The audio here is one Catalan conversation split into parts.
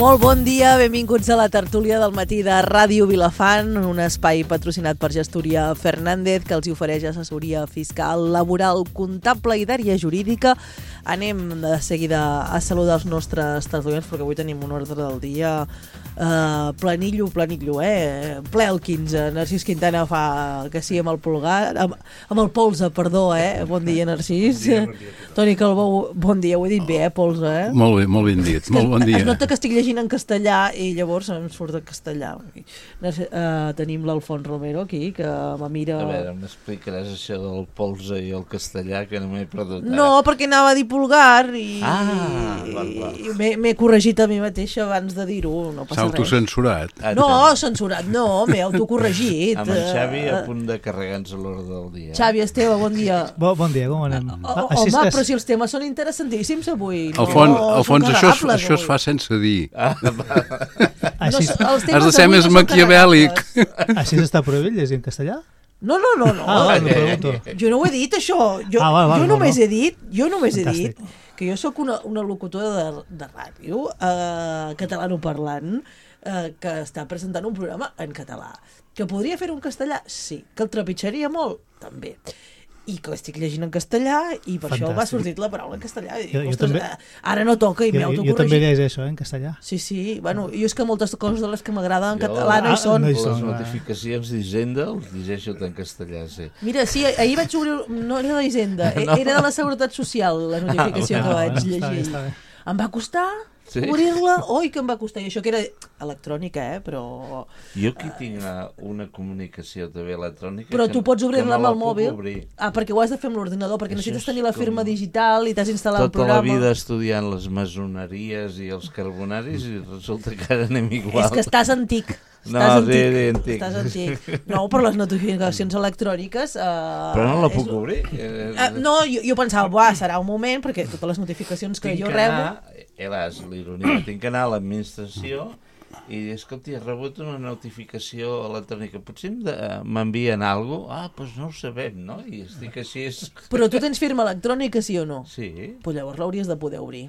Molt bon dia, benvinguts a la tertúlia del matí de Ràdio Vilafant, un espai patrocinat per Gestoria Fernández que els ofereix assessoria fiscal, laboral, comptable i d'àrea jurídica. Anem de seguida a saludar els nostres tertulians perquè avui tenim un ordre del dia planillo, ple el 15. Narcís Quintana fa que sí amb el pulgar, amb el polze, perdó, Bon dia, Narcís. Bon dia. Toni Calbó, bon dia, ho he dit bé, polze, Molt bé, molt ben dit, molt bon dia. Es nota que estic llegint en castellà i llavors em surt en castellà. Tenim l'Alfons Romero aquí, que me mira... A veure, m'explicaràs això del polze i el castellà, que no m'he perdut ara. No, perquè anava a dir pulgar i, val. i m'he corregit a mi mateixa abans de dir-ho, no passa res. Autocensurat. No, censurat no, m'he autocorregit. Amb en Xavi a punt de carregar-nos a l'hora del dia. Xavi, Esteve, bon dia. Bon dia, com anem? Home, però si els temes són interessantíssims avui. Alfons, això es fa sense dir. Has de ser més maquiavèlic. Així s'està prohibit llegir en castellà? No. Jo no ho he dit, això. Jo només he dit que jo sóc una locutora de ràdio catalanoparlant que està presentant un programa en català. Que podria fer un castellà? Sí. Que el trepitjaria molt? També. I que estic llegint en castellà i per això m'ha sortit la paraula en castellà. I dic, ostres, ara no toca i m'he autocorregit. Jo també llegeixo en castellà. Sí. Bueno, jo és que moltes coses de les que m'agraden en català no hi són. Les notificacions d'Hisenda els llegeixo en castellà, sí. Mira, sí, ahir vaig obrir... No era d'Hisenda, era de la Seguretat Social, la notificació que vaig llegir. Em va costar... Sí? Obrir-la, que em va costar, i això que era electrònica, però... Jo aquí tinc una comunicació també electrònica... Però tu pots obrir-la amb el mòbil? Perquè ho has de fer amb l'ordinador, perquè necessites tenir la firma digital i t'has instal·lat el programa... Tota la vida estudiant les masoneries i els carbonaris i resulta que ara anem igual. És que estàs antic. Estàs antic. No, per les notificacions electròniques... Però no la puc obrir? No, jo pensava, serà un moment, perquè totes les notificacions que jo rebo... L'ironia, tinc que anar a l'administració i dir, escolta, he rebut una notificació electrònica, potser m'envien alguna cosa? Doncs no ho sabem, no? I estic així... Però tu tens firma electrònica, sí o no? Sí. Doncs llavors l'hauries de poder obrir.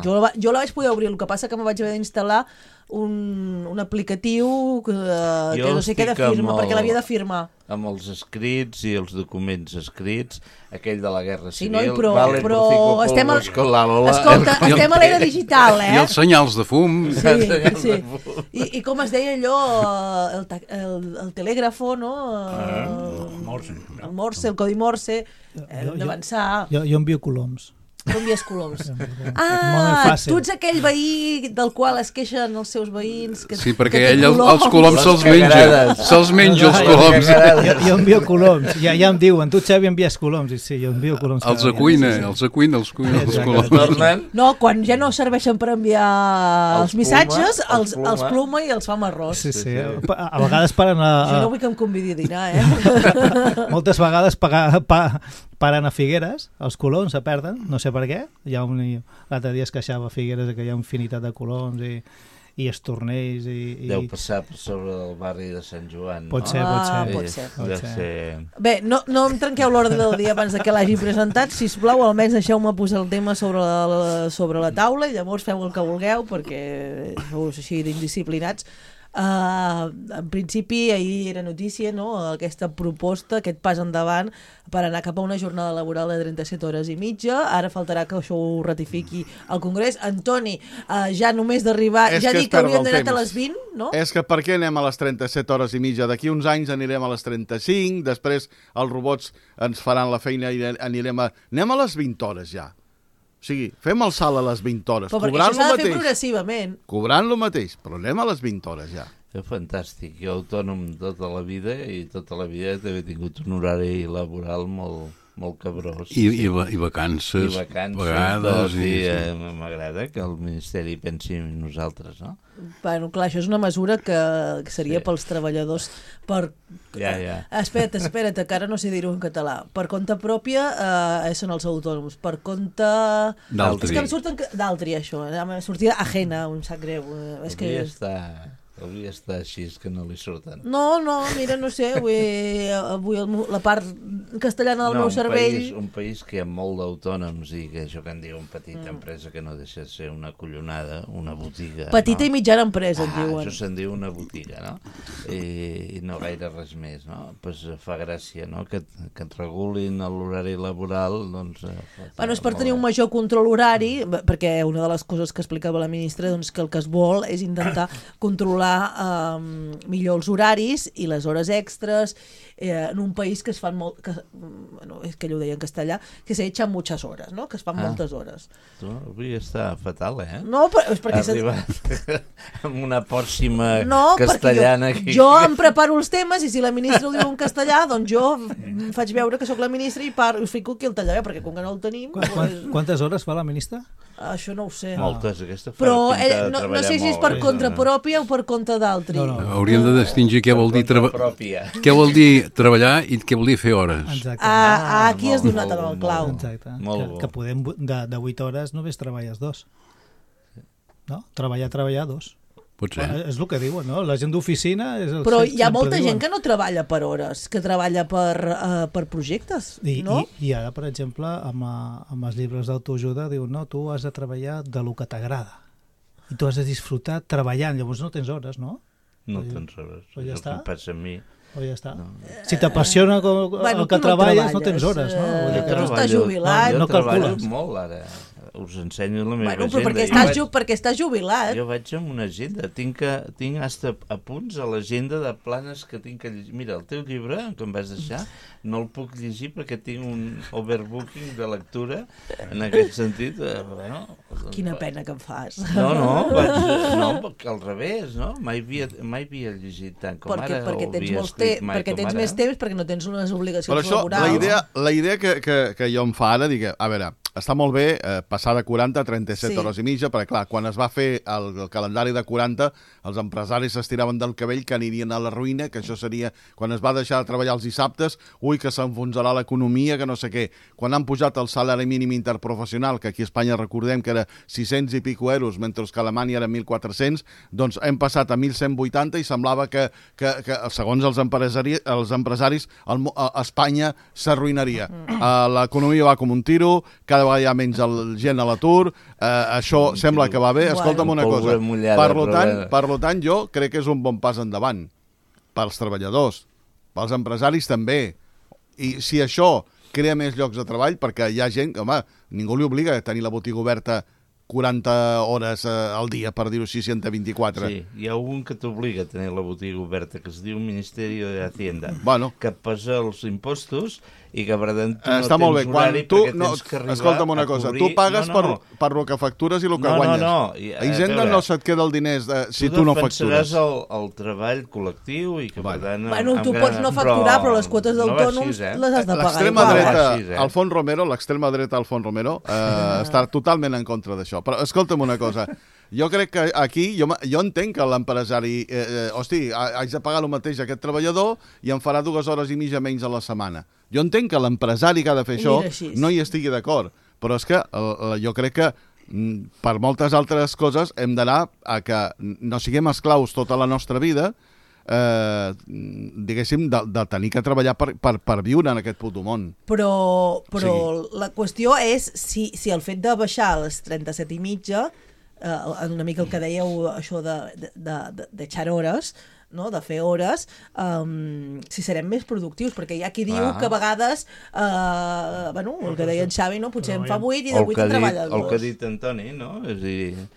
Jo la vaig poder obrir, el que passa que me vaig haver d'instal·lar un aplicatiu que no sé què de firma, perquè l'havia de firmar. Amb els escrits i els documents escrits, aquell de la Guerra Civil... Sí, noi, però estem a l'era digital, I els senyals de fum. Sí. I com es deia allò, el telègrafo, no? El Morse, el codi Morse, hem d'avançar. Jo envio coloms. Com envies coloms? Tu ets aquell veí del qual es queixen els seus veïns. Sí, perquè ell els coloms se'ls menja els coloms. Jo envio coloms, ja em diuen, tu Xavi envies coloms, i sí, jo envio coloms. Els cuina els coloms. No, quan ja no serveixen per enviar els missatges, els pluma i els fa amb arròs. Sí, a vegades paren a... Jo no vull que em convidi a dinar, Moltes vegades paren a Figueres, els coloms se perden, no sé per què. L'altre dia es queixava a Figueres que hi ha infinitat de coloms i estornells. Deu passar per sobre del barri de Sant Joan. Pot ser. Bé, no em trenqueu l'ordre del dia abans que l'hagi presentat. Sisplau, almenys deixeu-me posar el tema sobre la taula i llavors feu el que vulgueu perquè sou així d'indisciplinats. En principi ahir era notícia, no? Aquesta proposta, aquest pas endavant per anar cap a una jornada laboral de 37 hores i mitja. Ara faltarà que això ho ratifiqui el Congrés. Antoni, ja només d'arribar, ja dic que hauríem d'anar a les 20, no? És que per què anem a les 37 hores i mitja? D'aquí uns anys anirem a les 35, després els robots ens faran la feina i anem a les 20 hores ja. O sigui, fem el salt a les 20 hores. Però perquè això s'ha de fer progressivament. Cobrant lo mateix, però anem a les 20 hores ja. És fantàstic. Jo autònom tota la vida i tota la vida també he tingut un horari laboral molt cabrós. I vacances. I vacances. M'agrada que el Ministeri pensi en nosaltres, no? Bueno, clar, això és una mesura que seria pels treballadors Espera't, que ara no sé dir-ho en català. Per compte pròpia són els autònoms. Per compte... D'altri. És que em surten... D'altri, això. Em sortia ajena, em sap greu. És que... Hauria d'estar així, que no li surten. No, mira, no sé, avui la part castellana del meu cervell... Un país que hi ha molt d'autònoms i que això que en diuen petita empresa, que no deixa de ser una collonada, una botiga. Petita i mitjana empresa, en diuen. Això se'n diu una botiga, no? I no gaire res més, no? Pues fa gràcia, no? Que et regulin l'horari laboral, doncs... Bueno, és per tenir un major control horari, perquè una de les coses que explicava la ministra, doncs que el que es vol és intentar controlar millor els horaris i les hores extres en un país que es fan molt... bueno, és que ell ho deia en castellà, que se echan muchas horas, no? Que es fan moltes hores. Tu avui està fatal, No, però és perquè... Ha arribat amb una pòrcima castellana. castellana. Jo em preparo els temes i si la ministra ho diu en castellà, doncs jo faig veure que sóc la ministra i fico aquí el tallaveu, perquè com que no el tenim... Quantes hores fa la ministra? Això no ho sé. Moltes, aquesta fa però pinta de no treballar sé si és per molt, compte pròpia o per compte d'altri. No. Hauríem de distingir què vol dir què vol dir treballar i què vol dir fer hores. Exacte. Aquí has donat en el clau. Exacte. Molt que podem de 8 hores només treballes 2. No? Treballar 2. Pot ser. És el que diuen, no? La gent d'oficina... Però hi ha molta gent que no treballa per hores, que treballa per projectes, no? I ara, per exemple, amb els llibres d'autoajuda diuen, no, tu has de treballar de lo que t'agrada. I tu has de disfrutar treballant, llavors no tens hores, no? No tens hores. Però ja està. Em passa a mi. O ja està. No. Si t'apassiona el que treballes, no tens hores, no? Tu estàs jubilat. Jo treballo molt, ara. Us ensenyo la meva agenda. Però perquè estàs jubilat. Jo vaig amb una agenda. Tinc hasta apunts a l'agenda de planes que tinc que llegir. Mira, el teu llibre, que em vas deixar, no el puc llegir perquè tinc un overbooking de lectura. En aquest sentit, Quina pena que em fas. No, al revés, no? Mai havia llegit tant com ara. Perquè tens més temps, perquè no tens unes obligacions laborals. Però això, la idea que jo em fa ara, dic, a veure, està molt bé passar de 40 a 37 hores i mitja, perquè clar, quan es va fer el calendari de 40, els empresaris s'estiraven del cabell que anirien a la ruïna, que això seria, quan es va deixar de treballar els dissabtes, ui, que s'enfonsarà l'economia, que no sé què. Quan han pujat el salari mínim interprofessional, que aquí a Espanya recordem que era 600 i pico euros, mentre que a Alemanya era 1.400, doncs hem passat a 1.180 i semblava que segons els empresaris, Espanya s'arruïnaria. L'economia va com un tiro, cada vegada hi ha menys gent a l'atur, això sembla que va bé. Escolta'm una cosa, per tant jo crec que és un bon pas endavant pels treballadors, pels empresaris també, i si això crea més llocs de treball, perquè hi ha gent que, home, ningú li obliga a tenir la botiga oberta 40 hores al dia, per dir-ho així, 124. Sí, hi ha un que t'obliga a tenir la botiga oberta, que es diu Ministeri de Hacienda, que posa els impostos i que per tant tu està no molt bé. tens horari perquè tens que arribar escolta'm una cosa, tu pagues per lo que factures i el que guanyes. A Hisenda no se't queda el diners si tu no factures. Tu defensaràs el treball col·lectiu i que per tant... Bueno, tu pots no facturar, però les quotes d'autònoms les has de pagar. L'extrema dreta, l'extrema dreta Alfons Romero, està totalment en contra d'això. Però escolta'm una cosa, jo crec que aquí, jo entenc que l'empresari, hosti, haig de pagar el mateix a aquest treballador i em farà 2 hores i mitja menys a la setmana. Jo entenc que l'empresari que ha de fer això no hi estigui d'acord, però és que jo crec que per moltes altres coses hem d'anar a que no siguem esclaus tota la nostra vida, diguéssim, de tenir que treballar per viure en aquest puto món. Però la qüestió és si el fet de baixar a les 37 i mitja, una mica el que dèieu, això d'echar hores, no? De fer hores, si serem més productius, perquè hi ha qui diu que a vegades, el que deia en Xavi, no? Potser en fa 8 i de 8 en treballa 2. El que ha dit Antoni, no? És a dir,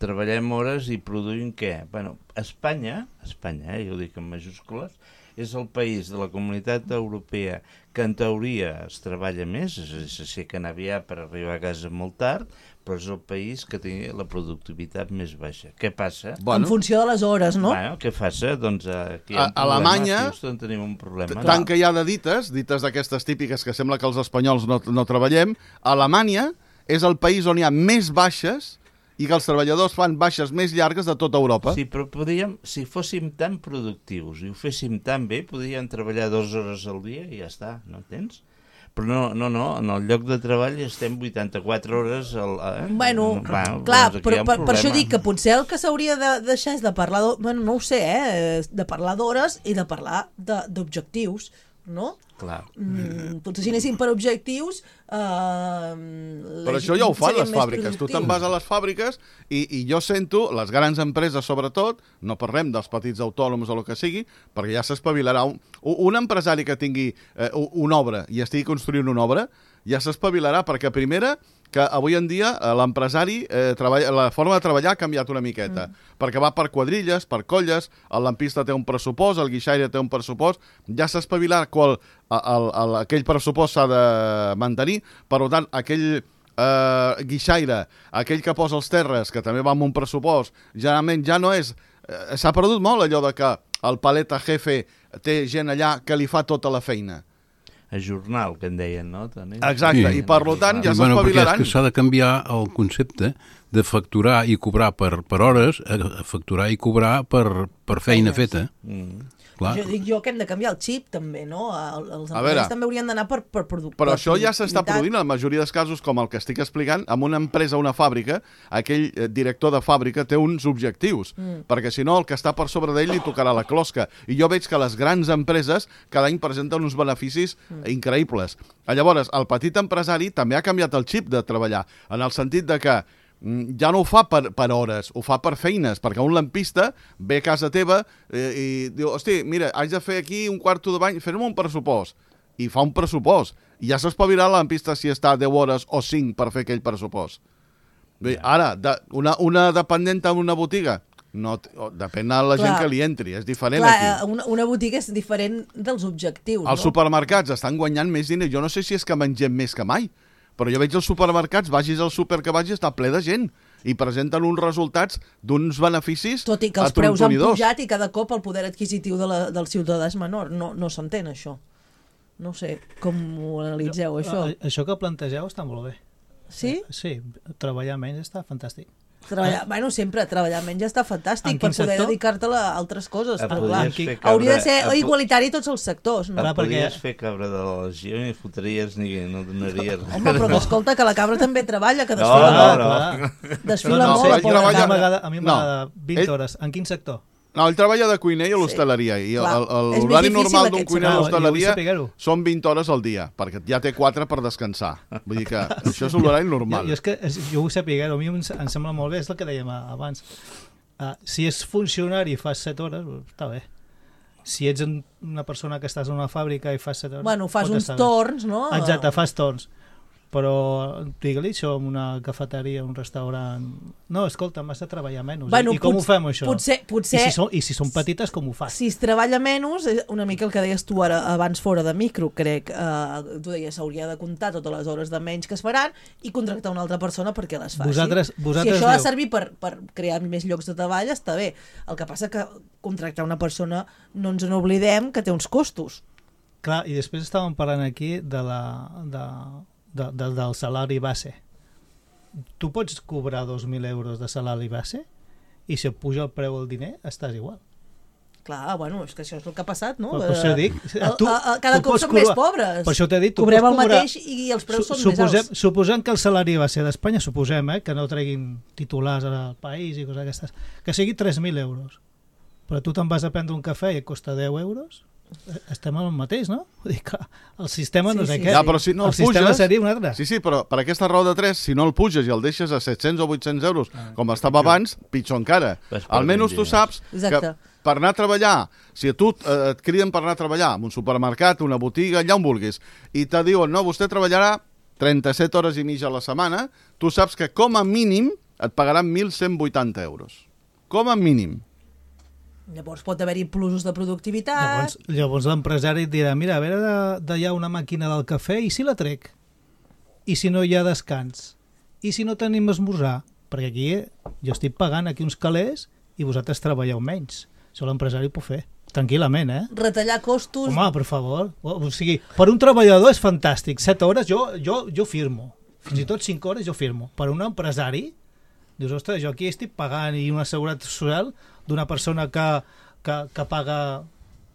treballem hores i produïm què? Bueno, Espanya, jo ho dic en majúscules, és el país de la Comunitat Europea que en teoria es treballa més, és a dir, s'aixequen aviat per arribar a casa molt tard, però és el país que té la productivitat més baixa. Què passa? En funció de les hores, no? Bueno, què passa? Doncs aquí a Alemanya tenim un problema. Tant que hi ha de dites d'aquestes típiques que sembla que els espanyols no treballem, Alemanya és el país on hi ha més baixes i que els treballadors fan baixes més llargues de tota Europa. Sí, però si fóssim tan productius i ho féssim tan bé, podríem treballar 2 hores al dia i ja està, no entens? Però no, en el lloc de treball estem 84 hores... Bueno, clar, doncs però per això dic que potser el que s'hauria de deixar és de parlar... Bueno, no ho sé, de parlar d'hores i de parlar d'objectius, no? Clar. Potser si anéssim per objectius... Però això ja ho fan les fàbriques. Tu te'n vas a les fàbriques i jo sento, les grans empreses sobretot, no parlem dels petits autònoms o el que sigui, perquè ja s'espavilarà. Un empresari que tingui una obra i estigui construint una obra, ja s'espavilarà, perquè primera, que avui en dia l'empresari, la forma de treballar ha canviat una miqueta, perquè va per quadrilles, per colles, el lampista té un pressupost, el guixaire té un pressupost, ja s'ha espavilat aquell pressupost s'ha de mantenir, per tant, aquell guixaire, aquell que posa els terres, que també va amb un pressupost, generalment ja no és... S'ha perdut molt allò de que el paleta jefe té gent allà que li fa tota la feina. A jornal, que en deien, no? Exacte, i per tant ja s'espavilaran. Perquè és que s'ha de canviar el concepte de facturar i cobrar per hores a facturar i cobrar per feina feta. Jo dic que hem de canviar el xip també, no? Els empleats també haurien d'anar per productivitat. Però això ja s'està produint en la majoria dels casos, com el que estic explicant, amb una empresa, una fàbrica, aquell director de fàbrica té uns objectius, perquè si no el que està per sobre d'ell li tocarà la closca. I jo veig que les grans empreses cada any presenten uns beneficis increïbles. Llavors, el petit empresari també ha canviat el xip de treballar, en el sentit de que ja no ho fa per hores, ho fa per feines, perquè un lampista ve a casa teva i diu, hosti, mira, haig de fer aquí un quarto de bany, fes-me un pressupost, i fa un pressupost, i ja s'espavirà la lampista si està 10 hores o 5 per fer aquell pressupost. Bé, ara, una dependent en una botiga, no, depèn de la gent que li entri, és diferent aquí. Una botiga és diferent dels objectius, Els supermercats estan guanyant més diners, jo no sé si és que mengem més que mai, però jo veig els supermercats, vagis al súper que vagis, està ple de gent i presenten uns resultats d'uns beneficis tot i que els preus han pujat i cada cop el poder adquisitiu del ciutadà és menor. No s'entén això. No sé com ho analitzeu, això. Això que plantegeu està molt bé. Sí? Sí, treballar menys està fantàstic. Sempre treballar menys ja està fantàstic per poder dedicar-te a altres coses. Hauria de ser igualitari a tots els sectors. No? Podries fer cabra de la legió i fotries no donaries... Home, però escolta, que la cabra també treballa, que desfila molt. A mi m'agrada 20 hores. En quin sector? No, ell treballa de cuiner i a l'hostaleria, i l'horari normal d'un cuiner a l'hostaleria són 20 hores al dia, perquè ja té 4 per descansar. Vull dir que això és l'horari normal. Jo vull saber, a mi em sembla molt bé, és el que dèiem abans. Si és funcionari i fas 7 hores, està bé. Si ets una persona que estàs en una fàbrica i fas 7 hores... Bueno, fas uns torns, no? Exacte, fas torns. Però, digue-li això, una cafeteria, un restaurant... No, escolta, m'has de treballar menys. Bueno, I com ho fem, això? Potser... I si són petites, com ho fas? Si es treballa menys, una mica el que deies tu ara abans fora de micro, crec. Tu deies, s'hauria de comptar totes les hores de menys que es faran i contractar una altra persona perquè les faci. Si això ha de servir per crear més llocs de treball, està bé. El que passa que contractar una persona, no ens n'oblidem, que té uns costos. Clar, i després estàvem parlant aquí del salari base. Tu pots cobrar 2.000 euros de salari base i si et puja el preu del diner estàs igual. Clar, bueno, és que això és el que ha passat, no? Per això dic, cada cop som més pobres. Per això t'he dit, cobrem el mateix i els preus són més alts. Suposem que el salari base d'Espanya, que no treguin titulars al país i coses aquestes, que sigui 3.000 euros. Però tu te'n vas a prendre un cafè i et costa 10 euros, estem en el mateix, no? Vull dir que el sistema no sé què. Ja, però si no el sistema seria un altre. Sí, però per aquesta raó de 3, si no el puges i el deixes a 700 o 800 euros, com estava abans, pitjor encara. Almenys tu saps que per anar a treballar, si a tu et criden per anar a treballar en un supermercat, una botiga, allà on vulguis, i te diuen, no, vostè treballarà 37 hores i mitja a la setmana, tu saps que com a mínim et pagaran 1.180 euros. Com a mínim. Llavors pot haver-hi plusos de productivitat. Llavors l'empresari et dirà, mira, a veure d'allà una màquina del cafè, i si la trec? I si no hi ha descans? I si no tenim esmorzar? Perquè aquí jo estic pagant aquí uns calés i vosaltres treballeu menys. Això l'empresari ho pot fer, tranquil·lament, Retallar costos... Home, per favor. O sigui, per un treballador és fantàstic. 7 hores jo firmo. Fins i tot 5 hores jo firmo. Per un empresari, dius, ostres, jo aquí estic pagant i una seguretat social d'una persona que paga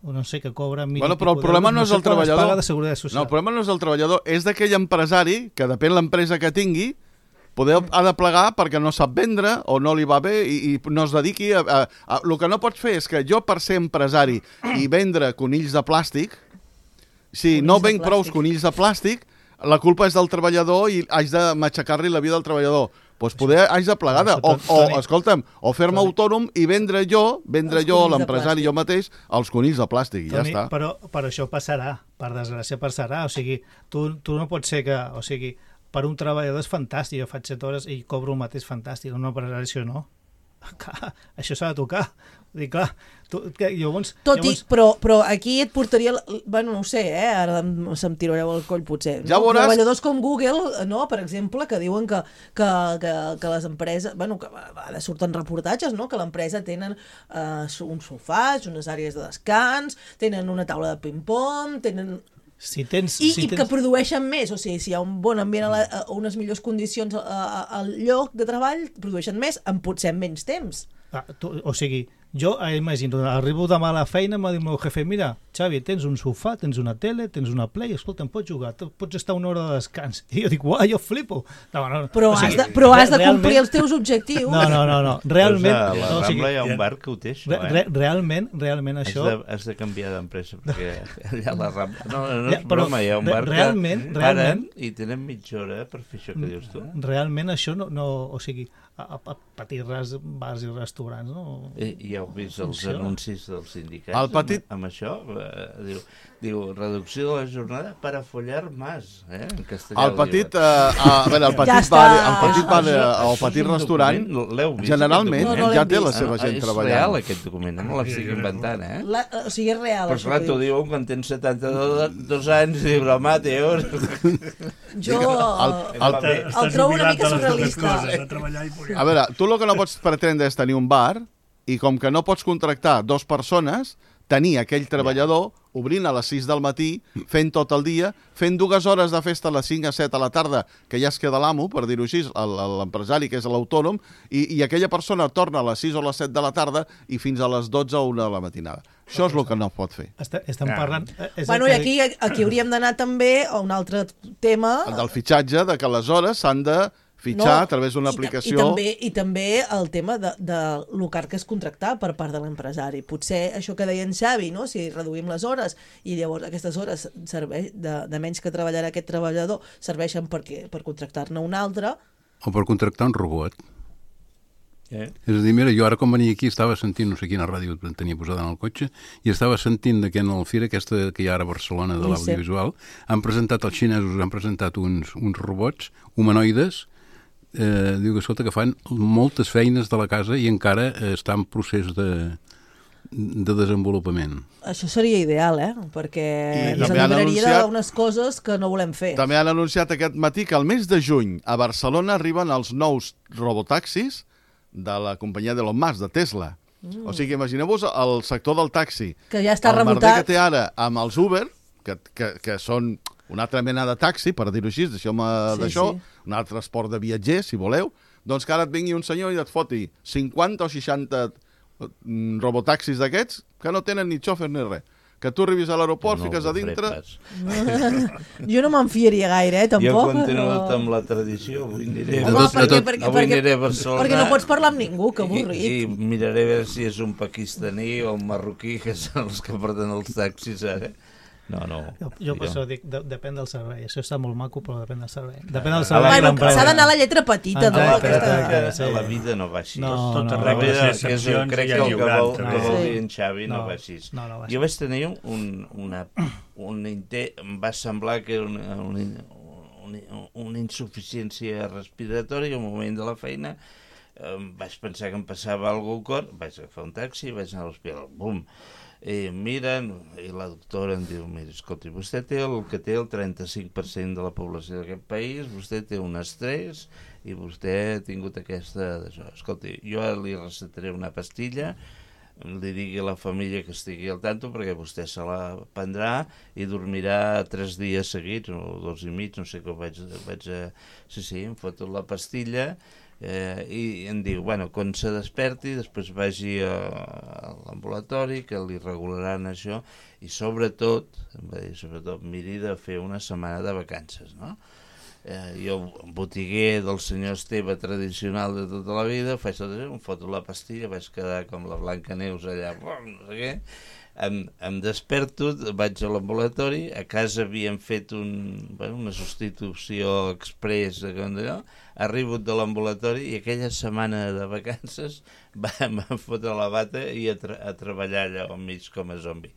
o no sé, que cobra... Bueno, però el problema no és el treballador. Paga de seguretat social. No, el problema no és el treballador, és d'aquell empresari que depèn l'empresa que tingui, ha de plegar perquè no sap vendre o no li va bé i no es dediqui a... El que no pots fer és que jo, per ser empresari i vendre conills de plàstic, si no venc prou conills de plàstic, la culpa és del treballador i haig de matxacar-li la vida al treballador. Doncs poder haig de plegar, escolta'm, o fer-me autònom i vendre jo, l'empresari, jo mateix, els conills de plàstic, i ja està. Però això passarà, per desgràcia passarà, o sigui, tu no pots ser que, o sigui, per un treballador és fantàstic, jo faig 7 hores i cobro el mateix fantàstic, un empresari això no. Clar, això s'ha de tocar. Dic, clar, però aquí et portaria... Bueno, no ho sé, ara se'm tirareu al coll, potser. Ja veuràs... Treballadors com Google, no?, per exemple, que diuen que les empreses... Bueno, que surten reportatges, no?, que l'empresa tenen uns sofàs, unes àrees de descans, tenen una taula de ping-pong, tenen... que produeixen més, o sigui, si hi ha un bon ambient, unes millors condicions al lloc de treball, produeixen més en potser menys temps. O sigui, jo imagino, arribo demà a la feina, m'ha dit el meu jefe, mira, Xavi, tens un sofà, tens una tele, tens una play, escolta, em pots jugar, pots estar una hora de descans. I jo dic, uau, jo flipo. Però has de complir els teus objectius. No, realment... A la Rambla hi ha un bar que ho té, això, Realment això... Has de canviar d'empresa, perquè allà a la Rambla... No és broma, hi ha un bar que paren i tenen mitja hora per fer això que dius tu. Realment això no... O sigui, a petits bars i restaurants, no? I ja heu vist els anuncis dels sindicats amb això? Diu, reducció de la jornada per a follar más, en castellà. El petit restaurant, generalment, ja té la seva gent treballant. És real, aquest document, no l'estic inventant, O sigui, és real. Però clar, t'ho diuen quan tens 72 anys i dius, home, tio... Jo el trobo una mica surrealista. A veure, tu el que no pots pretendre és tenir un bar i com que no pots contractar 2 persones, tenir aquell treballador obrint a les 6 del matí, fent tot el dia, fent 2 hores de festa a les 5 a 7 a la tarda, que ja es queda l'amo, per dir-ho així, l'empresari, que és l'autònom, i aquella persona torna a les 6 o les 7 de la tarda i fins a les 12 o 1 de la matinada. Això és el que no pot fer. Estem parlant... Bueno, i aquí hauríem d'anar també a un altre tema... El del fitxatge, de que les hores s'han de fitxar a través d'una aplicació... I també el tema de lo car que és contractar per part de l'empresari. Potser això que deia en Xavi, no?, si reduïm les hores i llavors aquestes hores de menys que treballarà aquest treballador serveixen per contractar-ne un altre... O per contractar un robot. És a dir, mira, jo ara quan venia aquí estava sentint, no sé quina ràdio tenia posada en el cotxe, i estava sentint que en el Fira aquesta que hi ha ara a Barcelona de l'audiovisual, els xinesos han presentat uns robots humanoides, diu que escolta, que fan moltes feines de la casa i encara està en procés de desenvolupament. Això seria ideal, perquè ens alliberaria d'unes coses que no volem fer. També han anunciat aquest matí que al mes de juny a Barcelona arriben els nous robotaxis de la companyia d'Elon Musk, de Tesla. O sigui, imagineu-vos el sector del taxi. Que ja està rebotat. El merder que té ara amb els Uber, que són una altra mena de taxi, per dir-ho així, deixeu-me d'això, un altre transport de viatgers, si voleu, doncs que ara et vingui un senyor i et foti 50 o 60 robotaxis d'aquests que no tenen ni xòfer ni res. Que tu arribis a l'aeroport, fiques a dintre... Jo no me'n fiaria gaire, tampoc. Jo continuo amb la tradició. Avui aniré a Barcelona. Perquè no pots parlar amb ningú, que avorrit. I miraré a veure si és un pakistaní o un marroquí, que són els que porten els taxis ara. No. Jo per això dic, depèn del servei. Això està molt maco, però depèn del servei. Depèn del servei. S'ha d'anar a la lletra petita. La vida no va així. La vida, crec que el que vol dir en Xavi, no va així. Jo vaig tenir un intent, em va semblar que era una insuficiència respiratòria al moment de la feina. Vaig pensar que em passava alguna cosa al cor, vaig agafar un taxi, vaig anar a l'hospital, bum. Miren, i la doctora em diu, mira, escolti, vostè té el 35% de la població d'aquest país, vostè té un estrès i vostè ha tingut aquesta... Escolti, jo li recetaré una pastilla, li digui a la família que estigui al tanto perquè vostè se la prendrà i dormirà 3 dies seguits, o 2 i mig, no sé com vaig... Sí, em foto la pastilla I em diu, bueno, quan se desperti després vagi a l'ambulatori que li regularan això i sobretot, em va dir, sobretot miri de fer una setmana de vacances, no? Jo, botiguer del senyor Esteve tradicional de tota la vida, faig tot això, em foto la pastilla, vaig quedar com la Blancaneus allà, no sé què, em desperto, vaig a l'ambulatori, a casa havíem fet una substitució express, arribo de l'ambulatori i aquella setmana de vacances em van fotre la bata i a treballar allà al mig com a zombi.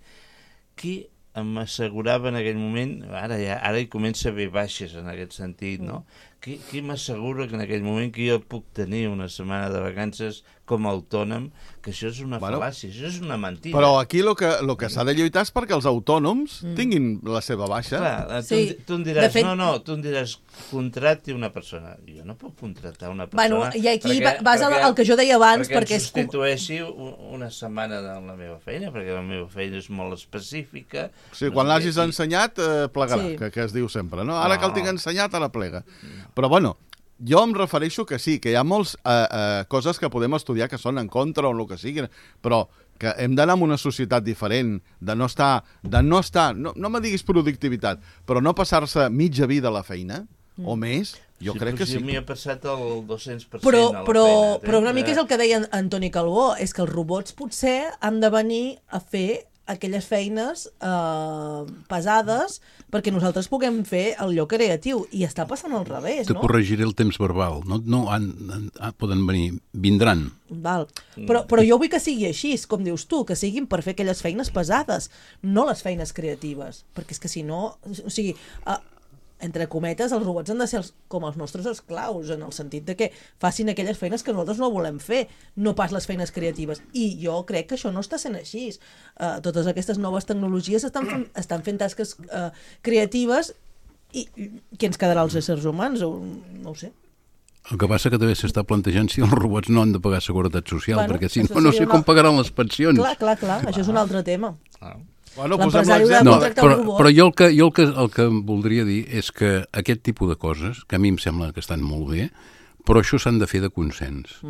Qui m'assegurava en aquell moment, ara hi comença a haver baixes en aquest sentit, no? Qui m'assegura que en aquell moment que jo puc tenir una setmana de vacances com a autònom, que això és una fal·làcia, això és una mentida. Però aquí el que s'ha de lluitar és perquè els autònoms tinguin la seva baixa. Clar, tu em diràs, tu em diràs, contracti una persona. Jo no puc contractar una persona. Bueno, i aquí vas al que jo deia abans, perquè em substitueixi una setmana de la meva feina, perquè la meva feina és molt específica. Sí, quan l'hagis ensenyat, plegarà, que es diu sempre, no? Ara que el tinc ensenyat, ara plega. Però, bueno, jo em refereixo que sí, que hi ha moltes coses que podem estudiar que són en contra o el que sigui, però que hem d'anar en una societat diferent, de no estar, no me diguis productivitat, però no passar-se mitja vida a la feina, o més, jo crec que sí. A mi ha passat el 200% però, a la feina. Però una mica és el que deia Antoni Calbó, és que els robots potser han de venir a fer aquelles feines pesades perquè nosaltres puguem fer allò creatiu, i està passant al revés, no? Te corregiré el temps verbal, no poden venir, vindran. Val. Però jo vull que sigui així, com dius tu, que siguin per fer aquelles feines pesades, no les feines creatives, perquè és que si no, o sigui, entre cometes, els robots han de ser com els nostres esclaus, en el sentit de que facin aquelles feines que nosaltres no volem fer, no pas les feines creatives. I jo crec que això no està sent així. Totes aquestes noves tecnologies estan fent tasques creatives, i què ens quedarà als éssers humans? No ho sé. El que passa que també s'està plantejant si els robots no han de pagar seguretat social, perquè si no sé com pagaran les pensions. Clar, això és un altre tema. Bueno, però jo el que voldria dir és que aquest tipus de coses, que a mi em sembla que estan molt bé, però això s'han de fer de consens.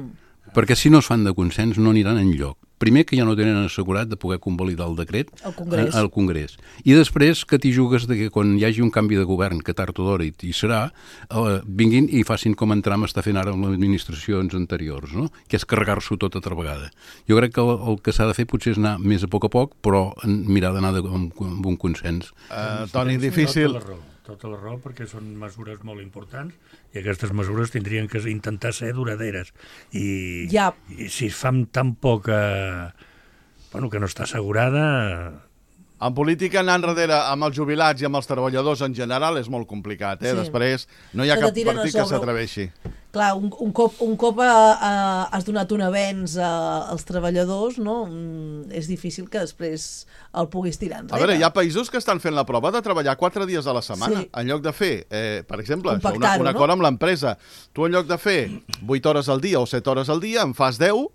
Perquè si no es fan de consens no aniran enlloc. Primer, que ja no tenen assegurat de poder convalidar el decret al Congrés. I després que t'hi jugues de que quan hi hagi un canvi de govern, que tard o d'hora hi serà, vinguin i facin com en Trump està fent ara amb les administracions anteriors, no? Que és carregar-s'ho tot altra vegada. Jo crec que el que s'ha de fer potser és anar més a poc, però mirar d'anar amb un consens. Toni, difícil... Tota la raó, perquè són mesures molt importants i aquestes mesures tindrien que intentar ser duraderes. I si es fa amb tan poca... Bueno, que no està assegurada... En política, anar enrere amb els jubilats i amb els treballadors en general és molt complicat, eh? Sí. Després no hi ha cap partit que s'atreveixi. Clar, un cop has donat un avenç als treballadors, no? És difícil que després el puguis tirar enrere. A veure, hi ha països que estan fent la prova de treballar 4 dies a la setmana, en lloc de fer, per exemple, un acord amb l'empresa. Tu en lloc de fer 8 hores al dia o 7 hores al dia, en fas 10,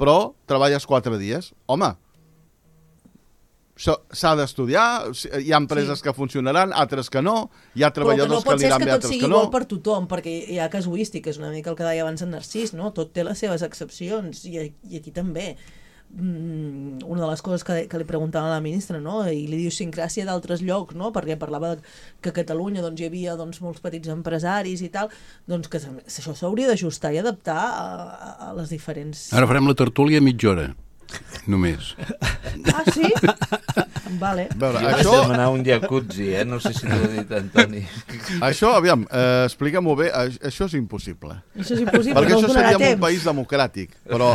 però treballes 4 dies. Home, s'ha d'estudiar, hi ha empreses que funcionaran, altres que no, hi ha treballadors que aniran bé, altres que no. Però que no pot ser que tot sigui igual per tothom, perquè hi ha casuística, és una mica el que deia abans en Narcís, no? Tot té les seves excepcions, i aquí també. Una de les coses que li preguntava a la ministra, no? I l'idiosincràsia d'altres llocs, no? Perquè parlava que a Catalunya hi havia molts petits empresaris i tal, doncs que això s'hauria d'ajustar i adaptar a les diferents... Ara farem la tertúlia a mitja hora. Només. Ah, sí? Vale. Veure, jo vaig demanar un jacuzzi, no sé si t'ho ha dit Antoni. Això, aviam, explica-m'ho bé, això és impossible. Això és impossible, perquè no això seria un país democràtic, però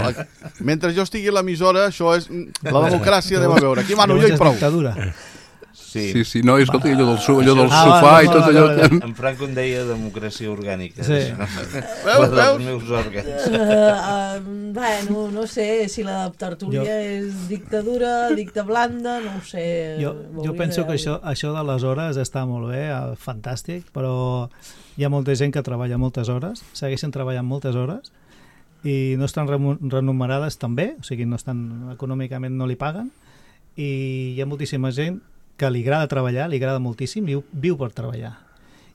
mentre jo estigui a l'emissora, això és la democràcia, anem a veure, aquí mano jo i prou. Sí, no, escolta, allò del sofà i tot allò... En Franco en deia democràcia orgànica. Sí. Dels meus òrgans. Bueno, no sé si la tertúlia és dictadura, dicta blanda, no ho sé. Jo penso que això de les hores està molt bé, fantàstic, però hi ha molta gent que treballa moltes hores, segueixen treballant moltes hores, i no estan remunerades també, o sigui, no estan, econòmicament no li paguen, i hi ha moltíssima gent que li agrada treballar, li agrada moltíssim, viu per treballar.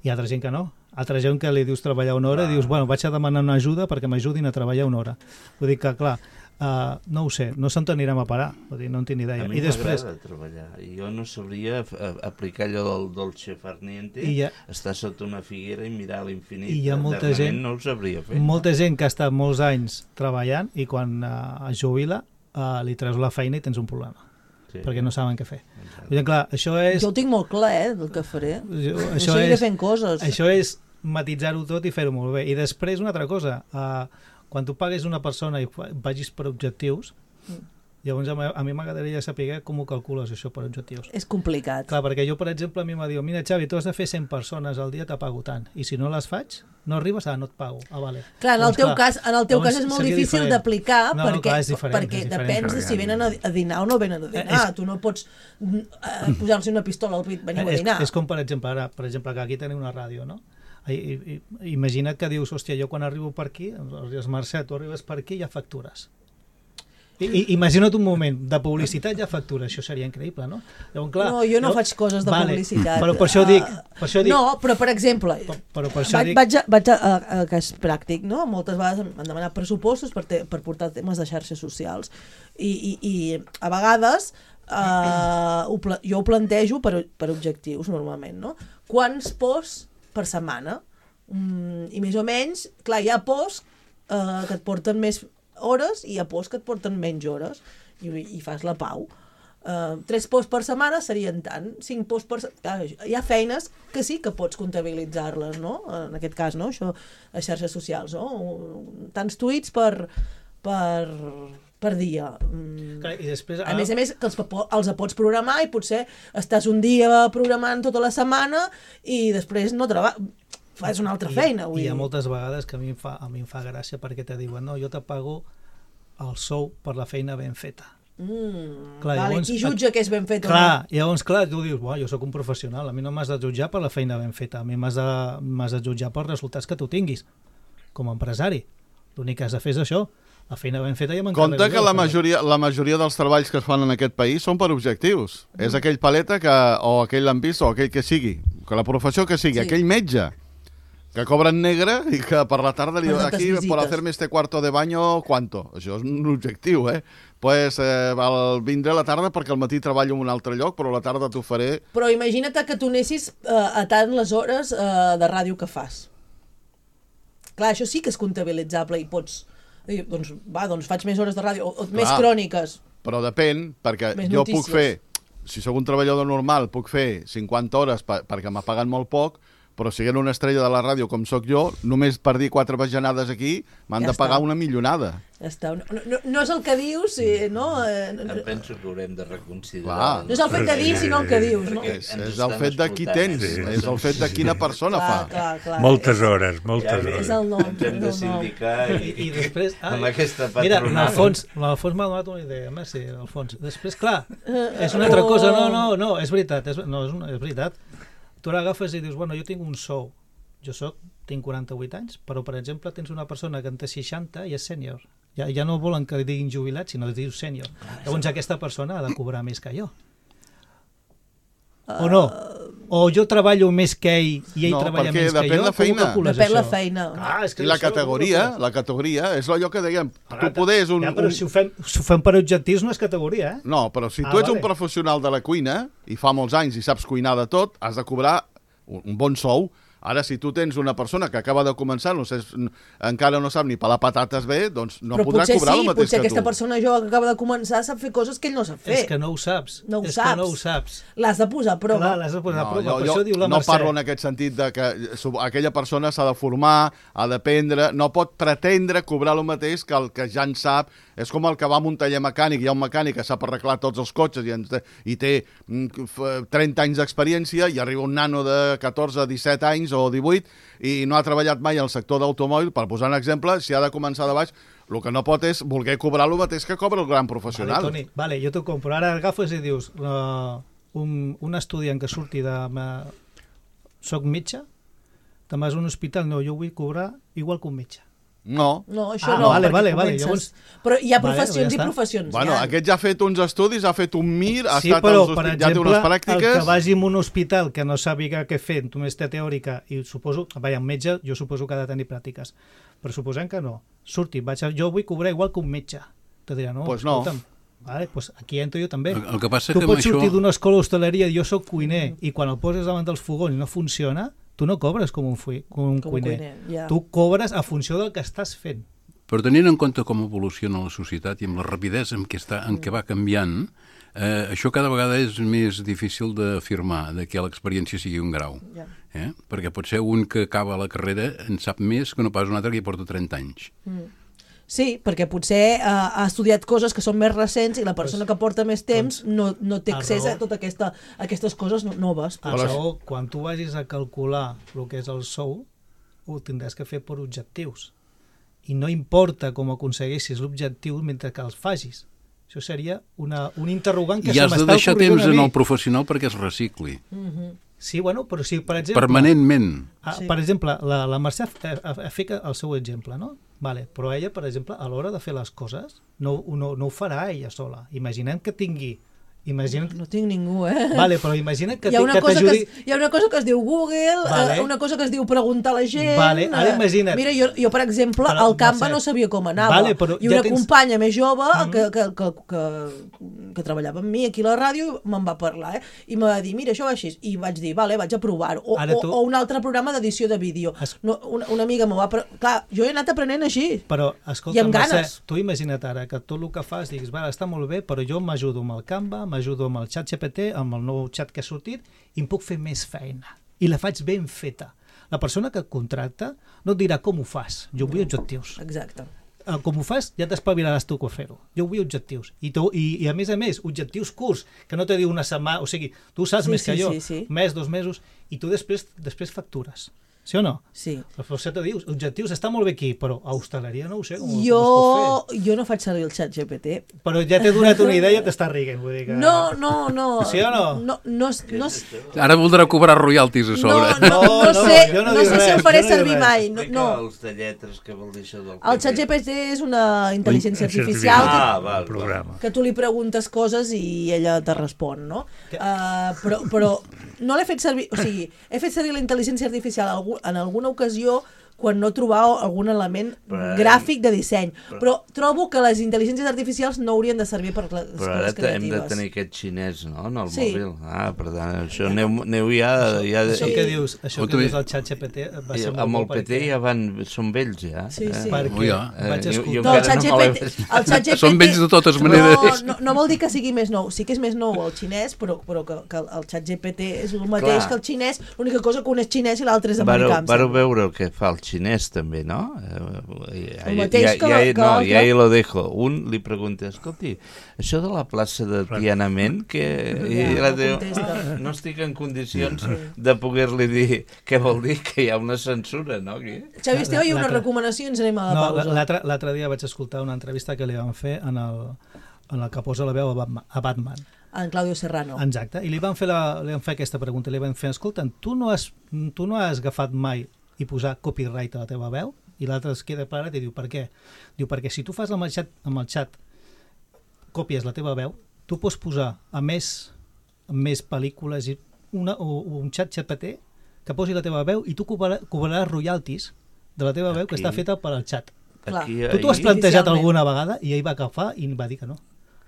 Hi ha altra gent que no, Altra gent que li dius treballar una hora i dius, bueno, vaig a demanar una ajuda perquè m'ajudin a treballar una hora. Vull dir que, clar, no ho sé, no se'n anirem a parar, vull dir, no en tinc ni idea. A mi m'agrada treballar, i jo no sabria aplicar allò del dolce far niente, estar sota una figuera i mirar a l'infinit. I hi ha molta gent, no ho sabria fer. Molta gent que ha estat molts anys treballant i quan es jubila li treus la feina i tens un problema. Sí. Perquè no saben què fer. Dir, clar, això és... Jo ho tinc molt clar, del que faré. Això seguiré fent coses. Això és matitzar-ho tot i fer-ho molt bé. I després una altra cosa, quan tu pagues una persona i vagis per objectius, llavors a mi m'agradaria saber com ho calcules això per objectius. És complicat. Clar, perquè jo, per exemple, a mi m'ha dit, mira, Xavi, tu has de fer 100 persones al dia, te pago tant. I si no les faig, no arribes, no et pago. Vale. Clar, en el teu cas és molt difícil d'aplicar perquè depèn de si venen a dinar o no venen a dinar. Tu no pots posar-se una pistola al pit, veniu a dinar. És com, per exemple, que aquí tenim una ràdio, no? Imagina't que dius, hòstia, jo quan arribo per aquí, Mercè, tu arribes per aquí i ja factures. Imagina't un moment, de publicitat ja factura, això seria increïble, no? Llavors, clar, no, jo no faig coses de publicitat. Però per això dic... No, però per exemple, vaig a cas pràctic, no? Moltes vegades m'han demanat pressupostos per portar temes de xarxes socials i a vegades jo ho plantejo per objectius normalment, no? Quants posts per setmana? I més o menys, clar, hi ha posts que et porten més hores i hi ha posts que et porten menys hores i fas la pau. 3 posts per setmana serien tant, 5 posts per setmana. Hi ha feines que sí que pots comptabilitzar-les, no? En aquest cas, no? Això, a xarxes socials, no? Tants tuits per dia. I després, a més, que els pots programar i potser estàs un dia programant tota la setmana i després no fas una altra feina. Hi ha moltes vegades que a mi em fa gràcia perquè te diuen, no, jo te pago el sou per la feina ben feta. Clar, llavors, qui jutja que és ben fet? Clar, llavors, clar, tu dius, jo sóc un professional, a mi no m'has de jutjar per la feina ben feta, a mi m'has de jutjar pels resultats que tu tinguis com a empresari. L'únic que has de fer és això. La feina ben feta ja m'encarrego. Compte que la majoria dels treballs que es fan en aquest país són per objectius. És aquell paleta o aquell lampista o aquell que sigui, que la professió que sigui, aquell metge que cobra en negre i que per la tarda li diu aquí per hacerme este cuarto de baño, ¿cuánto? Això és un objectiu, Pues vindré a la tarda perquè al matí treballo en un altre lloc, però a la tarda t'ho faré. Però imagina't que tu anessis a tant les hores de ràdio que fas. Clar, això sí que és comptabilitzable i pots dir, doncs faig més hores de ràdio, o més cròniques. Però depèn, perquè jo puc fer, si sóc un treballador normal, puc fer 50 hores perquè m'ha pagat molt poc, però siguent una estrella de la ràdio com sóc jo, només per dir 4 bajanades aquí m'han de pagar una millonada. Ja està. No és el que dius, no? Em penso que haurem de reconsiderar. No és el fet de dir, sinó el que dius, no? És el fet de qui tens, és el fet de quina persona fa. Moltes hores. És el nom. Ens hem de sindicar i després, amb aquesta patronal. Mira, l'Alfons m'ha donat una idea, merci, Alfons. Després, clar, és una altra cosa, no, és veritat, és veritat. Tu ara agafes i dius, bueno, jo tinc un sou, tinc 48 anys, però, per exemple, tens una persona que en té 60 i és sènior. Ja no volen que li diguin jubilat, sinó que li dius sènior. Llavors aquesta persona ha de cobrar més que jo. O no? O jo treballo més que ell i ell treballa més que jo? Depèn la feina. I la categoria, és allò que dèiem, tu podés però si ho fem per objectius no és categoria, No, però si tu ets un professional de la cuina i fa molts anys i saps cuinar de tot, has de cobrar un bon sou. Ara, si tu tens una persona que acaba de començar, encara no sap ni pelar patates bé, doncs no podrà cobrar el mateix que tu. Però potser aquesta persona jove que acaba de començar sap fer coses que ell no sap fer. És que no ho saps. No ho saps. L'has de posar a prova. L'has de posar a prova, per això diu la Mercè. No parlo en aquest sentit de que aquella persona s'ha de formar, ha d'aprendre, no pot pretendre cobrar el mateix que el que ja en sap. És com el que va a un taller mecànic, hi ha un mecànic que sap arreglar tots els cotxes i té 30 anys d'experiència i arriba un nano de 14, 17 anys o 18 i no ha treballat mai al sector d'automòbil, per posar un exemple, si ha de començar de baix, el que no pot és voler cobrar el mateix que cobra el gran professional. Vale, Toni, jo t'ho compro. Ara agafes i dius, un estudiant que surti de... Soc metge, te'n vas a un hospital, no, jo vull cobrar igual que un metge. No. No, això no, vale, perquè vale. Llavors... Però hi ha professions i professions. Bueno, aquest ja ha fet uns estudis, ha fet un MIR, ha estat però, als per ja té unes pràctiques... el que vagi en un hospital que no sàpiga què fer, només té teòrica, i suposo, un metge, jo suposo que ha de tenir pràctiques, però suposem que no. Surti, jo vull cobrar igual que un metge. Te dirà, no, pues no. Escolta'm, vale, pues aquí entro jo també. El que passa tu que pots sortir això... d'una escola d'hostaleria, jo sóc cuiner, i quan el poses davant dels fogons no funciona, tu no cobres com un cuiner. Ja. Tu cobres a funció del que estàs fent. Però tenint en compte com evoluciona la societat i amb la rapidesa en què va canviant, això cada vegada és més difícil d'afirmar, que l'experiència sigui un grau. Perquè potser un que acaba la carrera en sap més que no pas un altre que hi porta 30 anys. Sí, perquè potser ha estudiat coses que són més recents i la persona que porta més temps no té accés a totes aquestes coses noves. Però quan tu vagis a calcular el que és el sou, ho tindràs que fer per objectius. I no importa com aconsegueixis l'objectiu mentre que els facis. Això seria un interrogant que se m'està ocorrent a mi. I has de deixar temps en el professional perquè es recicli. Sí, bueno, però si, per exemple... Permanentment. Per exemple, la Mercè ha fet el seu exemple, no? Vale, però ella, per exemple, a l'hora de fer les coses, no ho farà ella sola. Imaginem que tingui... No tinc ningú, Vale, però imagina que t'ajudi... Hi ha una cosa que es diu Google, una cosa que es diu preguntar a la gent... Vale, ara imagina't. Mira, jo per exemple, al Canva no sabia com anava. I una companya més jove que treballava amb mi aquí a la ràdio me'n va parlar, i em va dir, mira, això va així. I vaig dir, vale, vaig a provar-ho. O un altre programa d'edició de vídeo. Una amiga m'ho va... Clar, jo he anat aprenent així. Però, escolta, Mercè, tu imagina't ara que tot el que fas diguis, vale, està molt bé, però jo m'ajudo amb el Canva, m'ajudo amb el ChatGPT, amb el nou xat que ha sortit, i em puc fer més feina. I la faig ben feta. La persona que et contracta no et dirà com ho fas. Jo vull objectius. Exacte. Com ho fas, ja t'espavilaràs tu a fer-ho. Jo vull objectius. I a més, objectius curts, que no te diu una setmana... O sigui, tu saps més que jo. Mes, 2 mesos, i tu després factures. Sí o no? Sí. Però se te dius, objectius, està molt bé aquí, però a hostaleria no ho sé com es pot fer. Jo no faig servir el xat GPT. Però ja t'he donat una idea i t'està riguent, vull dir que... No. Sí o no? No. Ara voldrà cobrar royalties a sobre. No sé si ho faré servir mai. No. Els de lletres, què vol dir això del... El xat GPT és una intel·ligència artificial que tu li preguntes coses i ella te respon, no? Però no l'he fet servir... O sigui, he fet servir la intel·ligència artificial en alguna ocasió quan no trobava algun element gràfic de disseny. Però trobo que les intel·ligències artificials no haurien de servir per les coses creatives. Però ara hem de tenir aquest xinès, no?, en el mòbil. Per tant, això aneu ja... Això que dius el xat GPT va ser molt bo. Amb el PT ja són vells, ja. Sí. Perquè vaig escoltar... El xat GPT... Són vells de totes maneres. No vol dir que sigui més nou. Sí que és més nou el xinès, però que el xat GPT és el mateix que el xinès. L'única cosa que un és xinès i l'altre és americà. Vareu veure el que fa el xinès també, no? El mateix que l'altre. I ahí lo dejo. Un li pregunta, escolti, això de la plaça de Tiananmen, que no estic en condicions de poder-li dir què vol dir, que hi ha una censura, no? Xavi Esteve, hi ha una recomanació i ens anem a la pausa. L'altre dia vaig escoltar una entrevista que li van fer en el que posa la veu a Batman. En Claudio Serrano. Exacte, i li van fer aquesta pregunta, li van fer, escolta, tu no has agafat mai i posar copyright a la teva veu? I l'altre es queda parat i diu, per què? Diu, perquè si tu fas amb el xat còpies la teva veu, tu pots posar a més pel·lícules i un xat GPT que posi la teva veu i tu cobraràs royalties de la teva veu que està feta per al xat. Tu t'ho has plantejat alguna vegada? I ell va agafar i va dir que no.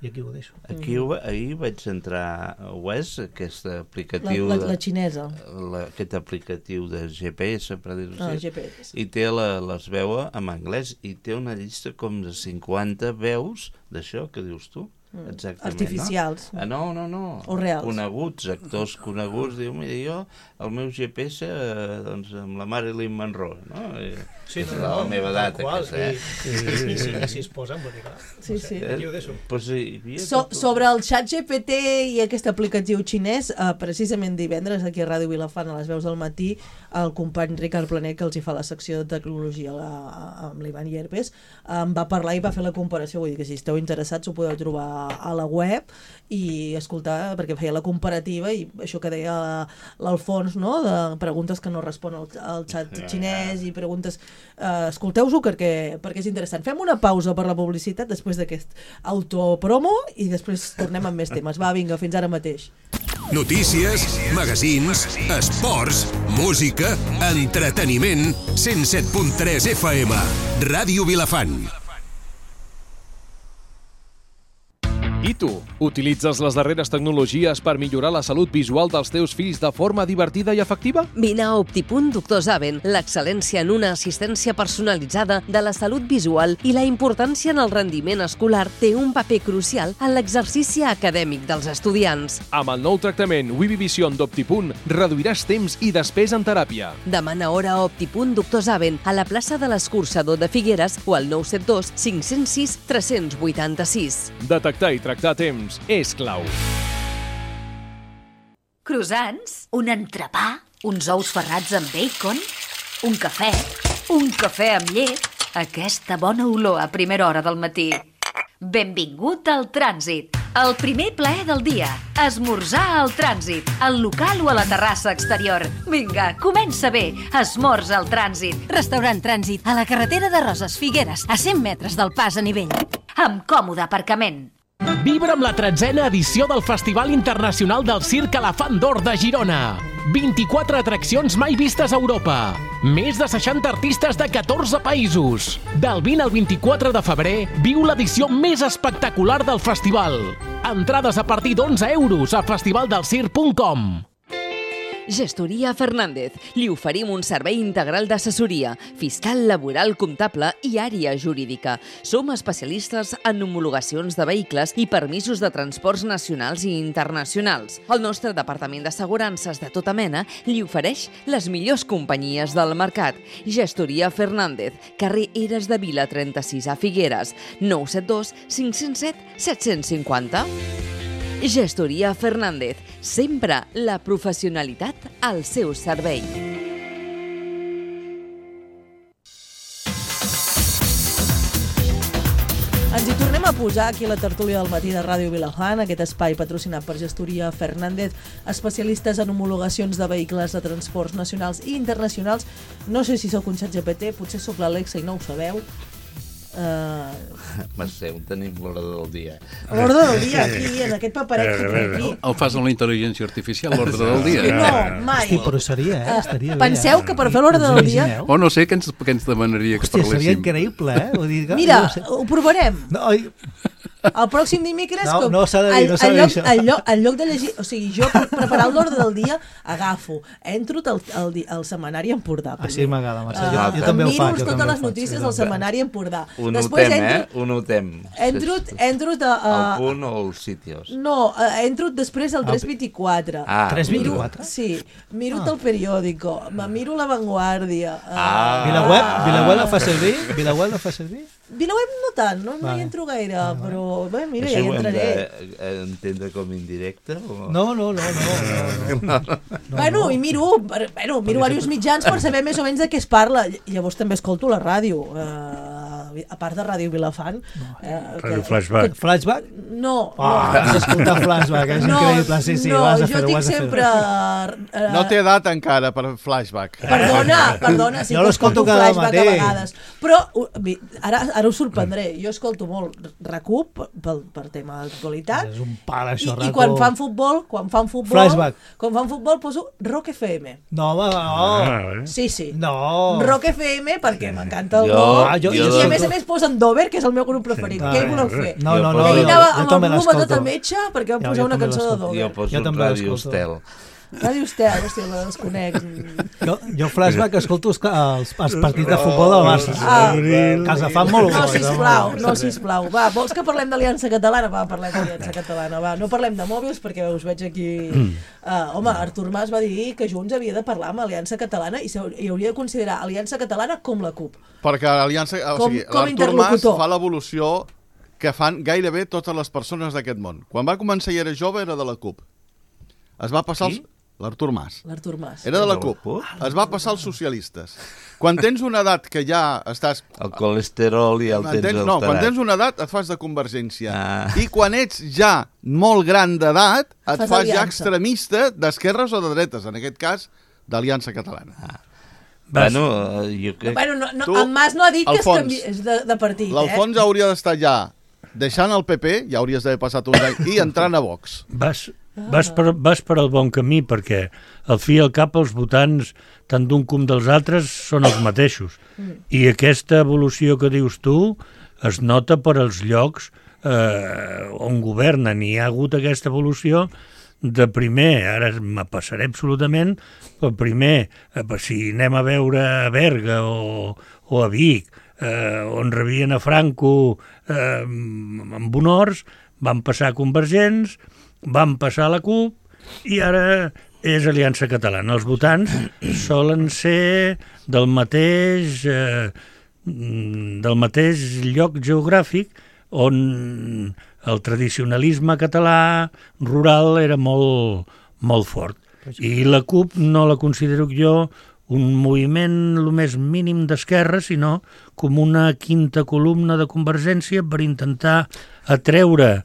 I aquí ho deixo. Ahir vaig entrar a Wes, aquest aplicatiu... La xinesa. Aquest aplicatiu de GPS, per dir-ho així. GPS. I té les veus en anglès i té una llista com de 50 veus d'això que dius tu. Exactament, artificials. No? No. O reals. Coneguts, actors coneguts. Diu, mira, jo, el meu GPS, doncs, amb la Marilyn Monroe, no? Sí, és la meva edat, aquesta, Si es posen, vull dir, clar. Sí. Sobre el xat GPT i aquest aplicatiu xinès, precisament divendres aquí a Ràdio Vilafant a les veus del matí, el company Ricard Planer, que els hi fa la secció de tecnologia amb l'Ivan Llerpes, em va parlar i va fer la comparació, vull dir que si esteu interessats ho podeu trobar a la web i escoltar, perquè feia la comparativa i això que deia l'Alfons, no? De preguntes que no respon al xat xinès i preguntes... escolteu-ho perquè és interessant. Fem una pausa per la publicitat després d'aquest autopromo i després tornem amb més temes. Va, vinga, fins ara mateix. Notícies, magazins, esports, música, entreteniment, 107.3 FM, Ràdio Vilafant. I tu, utilitzes les darreres tecnologies per millorar la salut visual dels teus fills de forma divertida i efectiva? Vine a Optipunt Doctor Zaven, l'excel·lència en una assistència personalitzada de la salut visual i la importància en el rendiment escolar té un paper crucial en l'exercici acadèmic dels estudiants. Amb el nou tractament Vivivision d'Optipunt reduiràs temps i despesa en teràpia. Demana hora a Optipunt Doctor Zaven a la plaça de l'Escurçador de Figueres o al 972 506 386. Detectar i tractar a temps és clau. Croissants, un entrepà, uns ous ferrats amb bacon, un cafè amb llet, aquesta bona olor a primera hora del matí. Benvingut al Trànsit, el primer plaer del dia. Esmorzar al Trànsit, al local o a la terrassa exterior. Vinga, comença bé, esmorza al Trànsit. Restaurant Trànsit, a la carretera de Roses, Figueres, a 100 metres del pas a nivell. Amb còmode aparcament. Vibra amb la 13a edició del Festival Internacional del Circ Elefant d'Or de Girona. 24 atraccions mai vistes a Europa. Més de 60 artistes de 14 països. Del 20 al 24 de febrer, viu l'edició més espectacular del festival. Entrades a partir d'11 euros a festivaldelscirc.com. Gestoria Fernández. Li oferim un servei integral d'assessoria, fiscal, laboral, comptable i àrea jurídica. Som especialistes en homologacions de vehicles i permisos de transports nacionals i internacionals. El nostre departament d'assegurances de tota mena li ofereix les millors companyies del mercat. Gestoria Fernández, carrer Eres de Vila 36 a Figueres, 972 507 750. Gestoria Fernández, sempre la professionalitat al seu servei. Ens hi tornem a posar aquí a la tertúlia del matí de Ràdio Vilafant, aquest espai patrocinat per Gestoria Fernández, especialistes en homologacions de vehicles de transports nacionals i internacionals. No sé si sóc un ChatGPT, potser sóc l'Alexa i no ho sabeu. Marcel, tenim l'ordre del dia. L'ordre del dia, aquí, en aquest paperet que té aquí. El fas amb la intel·ligència artificial, l'ordre del dia? No, mai. Hosti, però seria, estaria bé. Penseu que per fer l'ordre del dia... O no sé què ens demanaria que parléssim. Hòstia, seria increïble, Vull dir, mira, ho provarem. No, el pròxim dimecres, no s'ha de dir, no s'ha de dir això. En lloc de llegir, o sigui, jo per preparar l'ordre del dia agafo, entro al setmanari Empordà. Així m'agrada, Marcel. Jo també ho faig. Miro totes les notícies del setmanari Empordà. Ho notem, Ho notem. Entro el punt o els sitios. No, entro després al 324. 324? Sí, miro el periòdico, miro La Vanguardia. Vilaweb la fa servir? Vilaweb la fa servir? Vilaweb no tant, no hi entro gaire, però bé, mira, ja hi entraré. Això ho hem d'entendre com indirecte? No. Bueno, i miro diversos mitjans per saber més o menys de què es parla. Llavors també escolto la ràdio, a part de Ràdio Vilafant. Ràdio Flashback. Flashback? No. Has d'escoltar Flashback, és increïble. Sí, ho has de fer. No, jo dic sempre... No té edat encara per Flashback. Perdona, sí que escolto Flashback a vegades. Però ara us sorprendré, jo escolto molt RAC1 per tema d'actualitat. És un pal, això, RAC1. I quan fan futbol, Flashback. Quan fan futbol poso Rock FM. No, no. Sí. No. Rock FM perquè m'encanta el rock. I a més posen Dover, que és el meu grup preferit. Què hi voleu fer? No. Ell anava amb el volum a tot el metge perquè vam posar una cançó de Dover. Jo poso Ràdio Estel. Ràdio Estel, hòstia, la desconec. Jo Flashback escolto els partits de futbol del Barça. Que els fan molt bo. No, sisplau. Va, vols que parlem d'Aliança Catalana? Va, parlem d'Aliança Catalana. Va, no parlem de mòbils perquè us veig aquí... Home, Artur Mas va dir que Junts havia de parlar amb Aliança Catalana i hauria de considerar Aliança Catalana com la CUP. Perquè l'Artur Mas fa l'evolució que fan gairebé totes les persones d'aquest món. Quan va començar i era jove era de la CUP. Es va passar l'Artur Mas. L'Artur Mas. Era de la CUP. Es va passar als socialistes. Quan tens una edat que ja estàs... El colesterol i el tens alterat. No, quan tens una edat et fas de Convergència. I quan ets ja molt gran d'edat et fas ja extremista d'esquerres o de dretes, en aquest cas d'Aliança Catalana. Bueno, jo crec... En Mas no ha dit que és de partit. L'Alfons hauria d'estar ja deixant el PP, ja hauries d'haver passat uns anys, i entrant a Vox. Vas per al bon camí, perquè al fi i al cap els votants, tant d'un com dels altres, són els mateixos. I aquesta evolució que dius tu es nota per als llocs on governen. I hi ha hagut aquesta evolució de primer, ara me passaré absolutament, però primer, si anem a veure a Berga o a Vic, on rebien a Franco amb honors, van passar Convergents, van passar a la CUP i ara és Aliança Catalana. Els votants solen ser del mateix lloc geogràfic on el tradicionalisme català rural era molt fort. I la CUP no la considero jo un moviment el més mínim d'esquerra, sinó com una quinta columna de Convergència per intentar atreure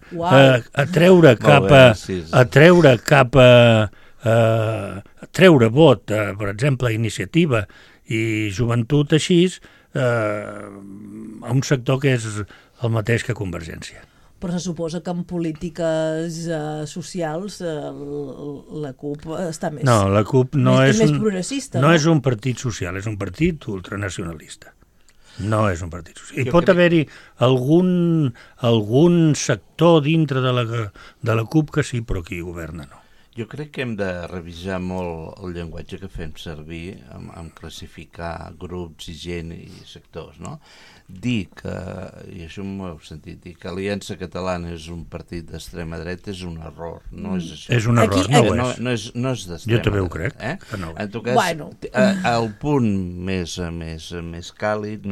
vot, per exemple, Iniciativa i Joventut així, a un sector que és el mateix que Convergència. Però se suposa que en polítiques socials la CUP està més... No, la CUP és més progressista. No és un partit social, és un partit ultranacionalista. No és un partit social. Hi pot haver-hi algun sector dintre de la CUP que sí, però qui governa no. Jo crec que hem de revisar molt el llenguatge que fem servir en classificar grups i gent i sectors, no? Dir que, i això m'ho heu sentit, dir que Aliança Catalana és un partit d'extrema dreta és un error, no és això. És un error, no és d'extrema dreta. Jo també ho crec. No. En tot cas, el punt més càlid,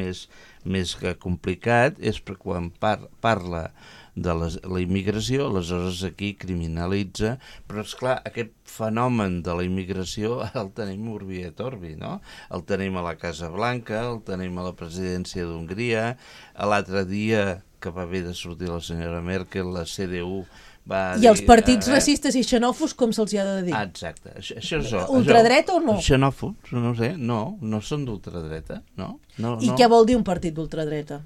més complicat, és quan parla de la immigració, aleshores aquí criminalitza, però esclar, aquest fenomen de la immigració el tenim urbi et orbi, no? El tenim a la Casa Blanca, el tenim a la presidència d'Hongria, l'altre dia que va haver de sortir la senyora Merkel, la CDU va dir... I els partits racistes i xenòfobs, com se'ls hi ha de dir? Exacte. Això és ultradreta o no? Xenòfobs, no sé, no són d'ultradreta, no? I què vol dir un partit d'ultradreta?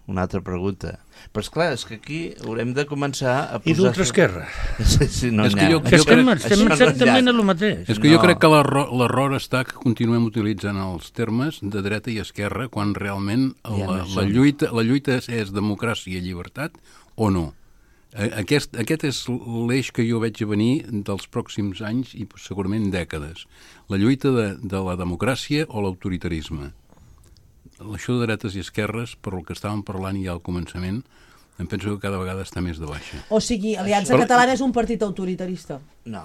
Una altra pregunta. Però esclar, és que aquí haurem de començar a posar... I d'ultraesquerra? Sí, no n'hi ha. Estem exactament a lo mateix. És que jo crec que l'error està que continuem utilitzant els termes de dreta i esquerra quan realment la lluita és democràcia i llibertat o no. Aquest és l'eix que jo veig a venir dels pròxims anys i segurament dècades. La lluita de la democràcia o l'autoritarisme. Això de dretes i esquerres, per el que estàvem parlant ja al començament, em penso que cada vegada està més de baixa. O sigui, Aliança Catalana és un partit autoritarista? No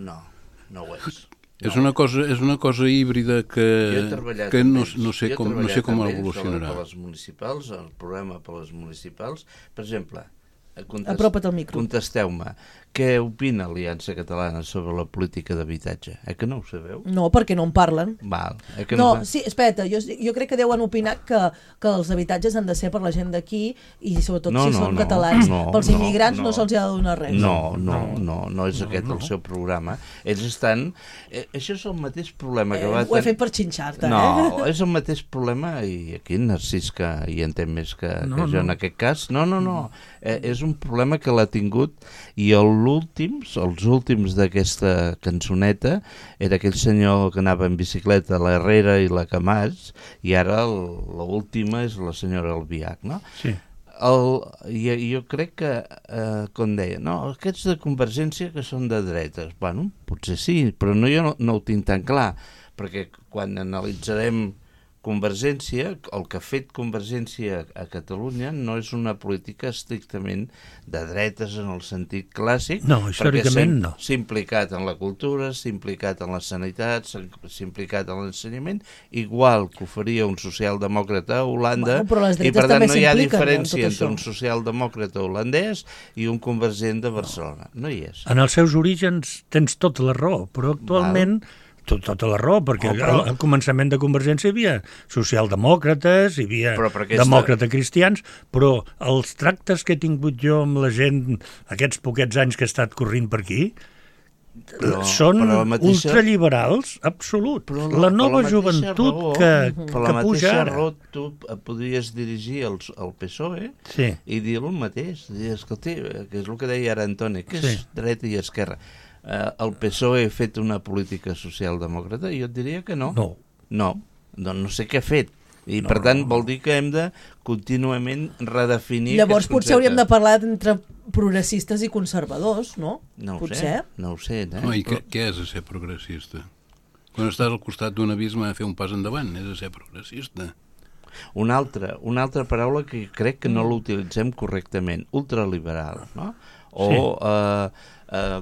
ho és. És una cosa híbrida que no sé com evolucionarà. Per les municipals, el programa per les municipals, per exemple, apropa't al micro. Contesteu-me, què opina Aliança Catalana sobre la política d'habitatge? Que no ho sabeu? No, perquè no en parlen. Sí, espera, jo crec que deuen opinar que els habitatges han de ser per la gent d'aquí i sobretot si són catalans. Pels immigrants no se'ls ha de donar res. No és aquest el seu programa. Ells estan... Això és el mateix problema que va tenir... Ho he fet per xinxar-te, No, és el mateix problema, i aquí Narcís que hi entén més que jo en aquest cas. No. És un problema que l'ha tingut i els últims d'aquesta cançoneta era aquell senyor que anava en bicicleta, l'Herrera i la Camats, i ara l'última és la senyora Albiach, no? Sí. Jo crec que, com deia, aquests de Convergència que són de dretes, bueno, potser sí, però jo no ho tinc tan clar, perquè quan analitzarem Convergència, el que ha fet Convergència a Catalunya no és una política estrictament de dretes en el sentit clàssic. No, històricament no. S'ha implicat en la cultura, s'ha implicat en la sanitat, s'ha implicat en l'ensenyament, igual que ho faria un socialdemòcrata a Holanda, i per tant no hi ha diferència entre un socialdemòcrata holandès i un convergent de Barcelona. No hi és. En els seus orígens tens tota la raó, però actualment... Tota la raó, perquè al començament de Convergència hi havia socialdemòcrates, hi havia demòcrates cristians, però els tractes que he tingut jo amb la gent aquests poquets anys que he estat corrent per aquí són ultraliberals, absolut. La nova joventut que puja ara. Per la mateixa raó tu podries dirigir al PSOE i dir el mateix. Escolta, que és el que deia ara Antoni, que és dreta i esquerra. El PSOE ha fet una política socialdemòcrata? Jo et diria que no. No sé què ha fet. I per tant vol dir que hem de contínuament redefinir... Llavors potser hauríem de parlar entre progressistes i conservadors, no? No ho sé. I què és ser progressista? Quan estàs al costat d'un abisme a fer un pas endavant, és ser progressista. Una altra paraula que crec que no l'utilitzem correctament, ultraliberal, no?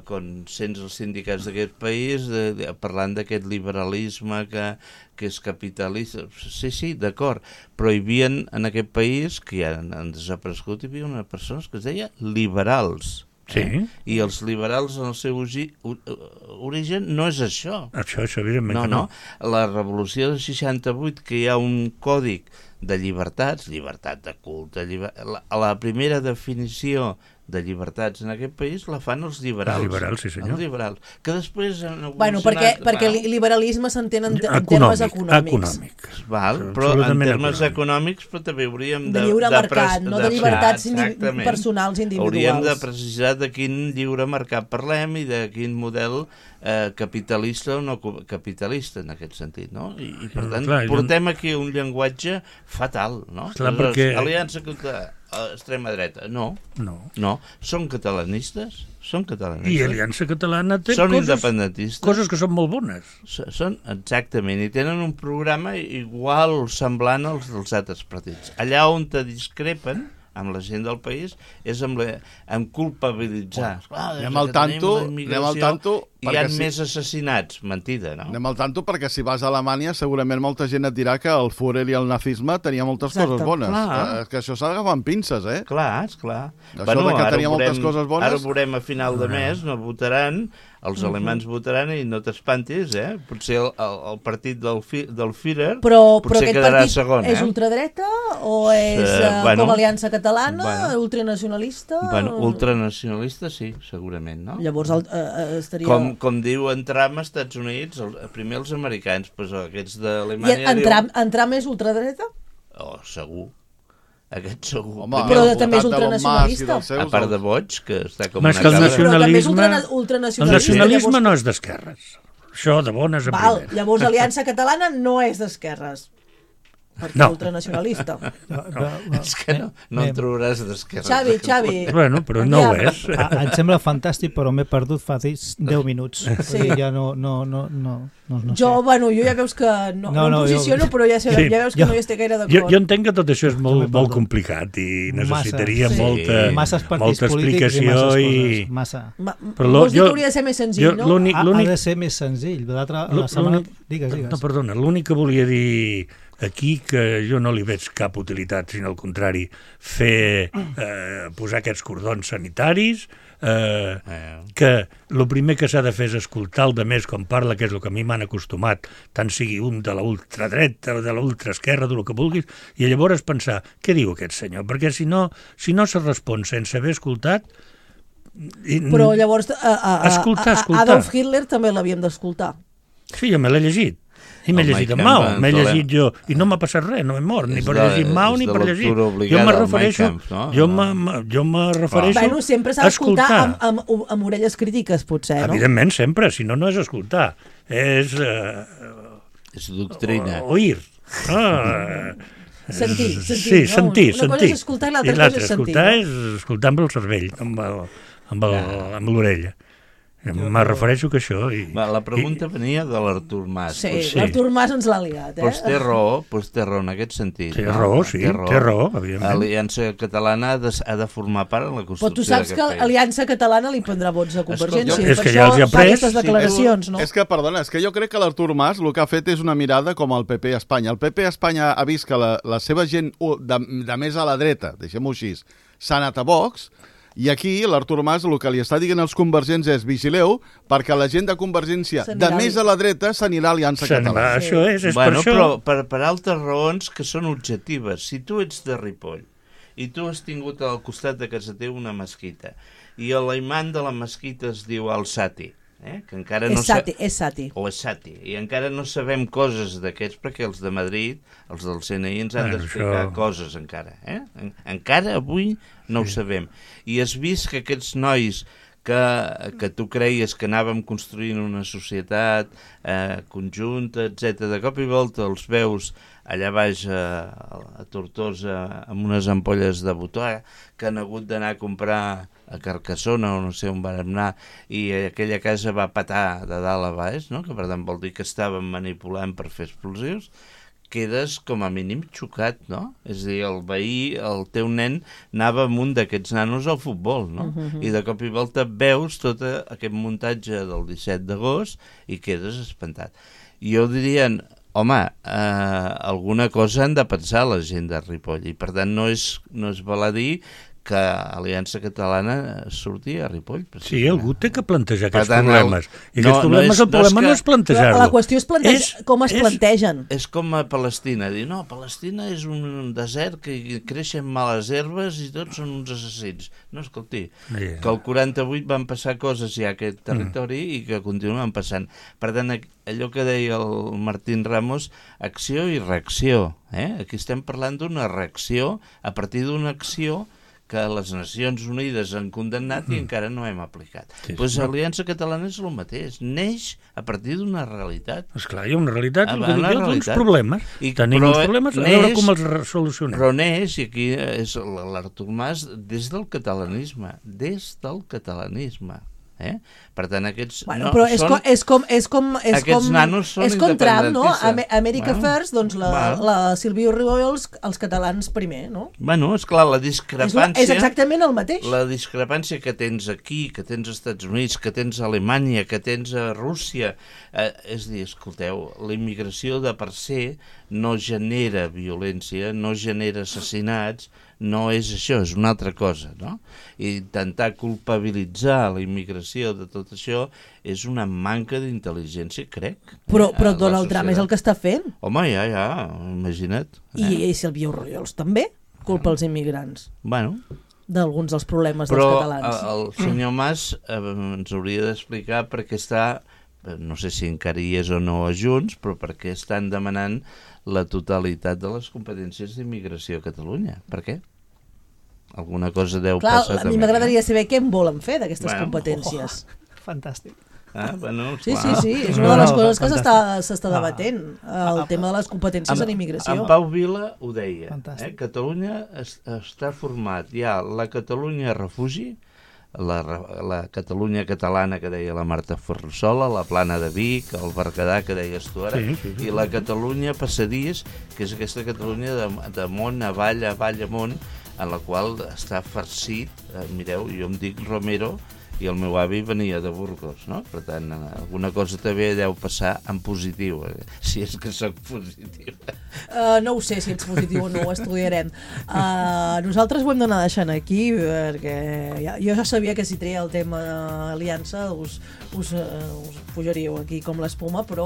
Quan sents els sindicats d'aquest país parlant d'aquest liberalisme que és capitalista. Sí, d'acord, però hi havia en aquest país, que ja han desaparegut, hi havia unes persones que es deia liberals. I els liberals en el seu origen no és això. Això evidentment no. La revolució del 68, que hi ha un còdic de llibertats, llibertat de culte, la primera definició de llibertats en aquest país la fan els liberals. Els liberals, sí senyor. Els liberals, que després han evolucionat... perquè liberalisme s'entén en termes econòmics. Però en termes econòmics però també hauríem de lliure mercat, no de llibertats personals individuals. Hauríem de precisar de quin lliure mercat parlem i de quin model capitalista o no capitalista en aquest sentit, no? I per tant portem aquí un llenguatge fatal, no? Aliança contra extrema dreta, no. Són catalanistes? I Aliança Catalana té coses que són molt bones. Exactament, i tenen un programa igual semblant als dels altres partits. Allà on te discrepen amb la gent del país és amb culpabilitzar. Anem al tanto hi ha més assassinats, mentida, no? Anem al tanto perquè si vas a Alemanya segurament molta gent et dirà que el Führer i el nazisme tenia moltes coses bones. Que això s'ha d'agafar amb pinces, eh? Clar. Això que tenia moltes coses bones... Ara ho veurem a final de mes, no votaran, els alemans votaran i no t'espantis, eh? Potser el partit del Führer potser quedarà segon. Però aquest partit és ultradreta o és com Aliança Catalana, ultranacionalista? Ultranacionalista sí, segurament, no? Llavors estaria... Com diu en Trump als Estats Units, primer els americans, però aquests d'Alemanya... I en Trump és ultradreta? Segur. Aquest segur. Però també és ultranacionalista. A part de boig, que està com una cabra. El nacionalisme no és d'esquerres. Això de bones a primeres. Llavors Aliança Catalana no és d'esquerres. perquè ultranacionalista. És que no en trobaràs d'esquerra. Xavi. Bueno, però no ho és. Em sembla fantàstic, però m'he perdut fa 10 minuts. Sí. Ja no sé. Jo ja veus que no em posiciono, però ja veus que no hi estic gaire d'acord. Jo entenc que tot això és molt complicat i necessitaria molta explicació i... Vols dir que hauria de ser més senzill, no? Ha de ser més senzill. Digues. No, perdona, l'únic que volia dir aquí, que jo no li veig cap utilitat, sinó al contrari, posar aquests cordons sanitaris, que el primer que s'ha de fer és escoltar el de més com parla, que és el que a mi m'han acostumat, tant sigui un de la ultradreta o de la ultraesquerra, del que vulguis, i llavors pensar, què diu aquest senyor? Perquè si no se respon sense haver escoltat... Però llavors Adolf Hitler també l'havíem d'escoltar. Sí, jo me l'he llegit. I m'he llegit en Mao, m'he llegit jo, i no m'ha passat res, no he mort, ni per llegir Mao ni per llegir. Jo me refereixo Bueno, sempre s'ha d'escoltar amb orelles crítiques, potser, no? Evidentment, sempre, si no, no és escoltar. És doctrina. Oir. Sentir. Sí, sentir. Una cosa és escoltar i l'altra cosa és sentir. Escoltar és escoltar amb el cervell, amb l'orella. Me refereixo que això... La pregunta venia de l'Artur Mas. Sí, l'Artur Mas ens l'ha liat, Pues té raó en aquest sentit. Té raó, evidentment. L'Aliança Catalana ha de formar part en la construcció d'aquest país. Però tu saps que l'Aliança Catalana li prendrà vots a Convergència. És que ja els hi ha pres. Aquestes declaracions, no? És que, perdona, és que jo crec que l'Artur Mas el que ha fet és una mirada com el PP a Espanya. El PP a Espanya ha vist que la seva gent de més a la dreta, deixem-ho així, s'ha anat a Vox. I aquí l'Artur Mas el que li està dient als convergents és vigileu perquè la gent de Convergència de més a la dreta s'anirà a Aliança Catalana. Això és per això. Però per altres raons que són objectives. Si tu ets de Ripoll i tu has tingut al costat de casa teu una mesquita i l'imam de la mesquita es diu Al-Sati, que encara no és Sati. O és Sati. I encara no sabem coses d'aquests perquè els de Madrid, els del CNI, ens han d'explicar coses encara. Encara avui no ho sabem. I has vist que aquests nois que tu creies que anàvem construint una societat conjunta, etc. De cop i volta els veus allà baix a Tortosa amb unes ampolles de botó que han hagut d'anar a comprar a Carcassona o no sé on van anar i aquella casa va petar de dalt a baix, no? Que per tant vol dir que estàvem manipulant per fer explosius, quedes com a mínim xocat, no? És a dir, el veí, el teu nen anava amb un d'aquests nanos al futbol, no? I de cop i volta veus tot aquest muntatge del 17 d'agost i quedes espantat. Jo diria, home, alguna cosa han de pensar la gent de Ripoll i per tant no és baladí que Aliança Catalana surti a Ripoll. Sí, algú té que plantejar aquests problemes. I aquests problemes, el problema no és plantejar-lo. La qüestió és com es plantegen. És com a Palestina. Dir, no, Palestina és un desert que creixen males herbes i tots són uns assassins. No, escolti, que el 48 van passar coses ja a aquest territori i que continuen passant. Per tant, allò que deia el Martín Ramos, acció i reacció. Aquí estem parlant d'una reacció a partir d'una acció que les Nacions Unides han condemnat i encara no hem aplicat. Doncs l'Aliança Catalana és el mateix, neix a partir d'una realitat. Esclar, hi ha una realitat, hi ha uns problemes. Tenim uns problemes, a veure com els solucionem. Però neix, i aquí és l'Artur Mas, des del catalanisme. Per tant, aquests és com Trump, no? America First, doncs la Silvio Ripoll, els catalans primer, no? Bueno, esclar, la discrepància... És exactament el mateix. La discrepància que tens aquí, que tens als Estats Units, que tens a Alemanya, que tens a Rússia, és dir, escolteu, la immigració de per se no genera violència, no genera assassinats, no és això, és una altra cosa, no? I intentar culpabilitzar la immigració de tot això és una manca d'intel·ligència, crec. Però Donald Trump és el que està fent. Home, ja, imagina't. I Silvio Ripoll també culpa els immigrants. Bueno. D'alguns dels problemes dels catalans. Però el senyor Mas ens hauria d'explicar per què està, no sé si encara hi és o no a Junts, però per què estan demanant la totalitat de les competències d'immigració a Catalunya. Per què? Alguna cosa deu passar també. A mi m'agradaria saber què en volen fer d'aquestes competències. Fantàstic. Sí, és una de les coses que s'està debatent, el tema de les competències en immigració. En Pau Vila ho deia. Catalunya està format, hi ha la Catalunya refugi, la Catalunya catalana que deia la Marta Ferrusola, la Plana de Vic, el Berguedà que deies tu ara, i la Catalunya passadís, que és aquesta Catalunya de món avall, amunt, en la qual està farcit, mireu, jo em dic Romero i el meu avi venia de Burgos, no? Per tant, alguna cosa també deu passar en positiu, si és que soc positiu. No ho sé si ets positiu o no, ho estudiarem. Nosaltres ho hem d'anar deixant aquí, perquè jo ja sabia que si treia el tema aliança us pujaríeu aquí com l'espuma, però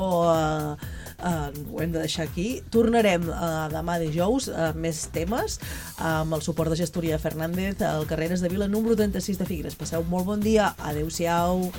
ho hem de deixar aquí. Tornarem demà dijous amb més temes, amb el suport de Gestoria Fernández al Carreres de Vila número 36 de Figueres. Passeu molt bon dia. Adéu-siau.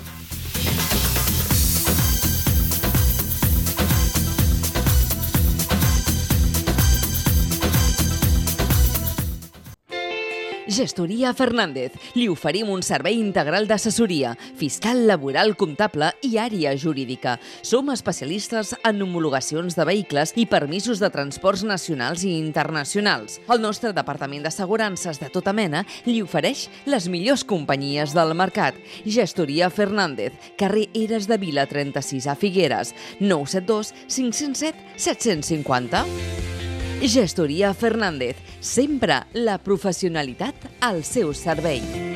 Gestoria Fernández. Li oferim un servei integral d'assessoria, fiscal, laboral, comptable i àrea jurídica. Som especialistes en homologacions de vehicles i permisos de transports nacionals i internacionals. El nostre departament d'assegurances de tota mena li ofereix les millors companyies del mercat. Gestoria Fernández, carrer Eres de Vila 36 a Figueres, 972 507 750. Gestoria Fernández, sempre la professionalitat al seu servei.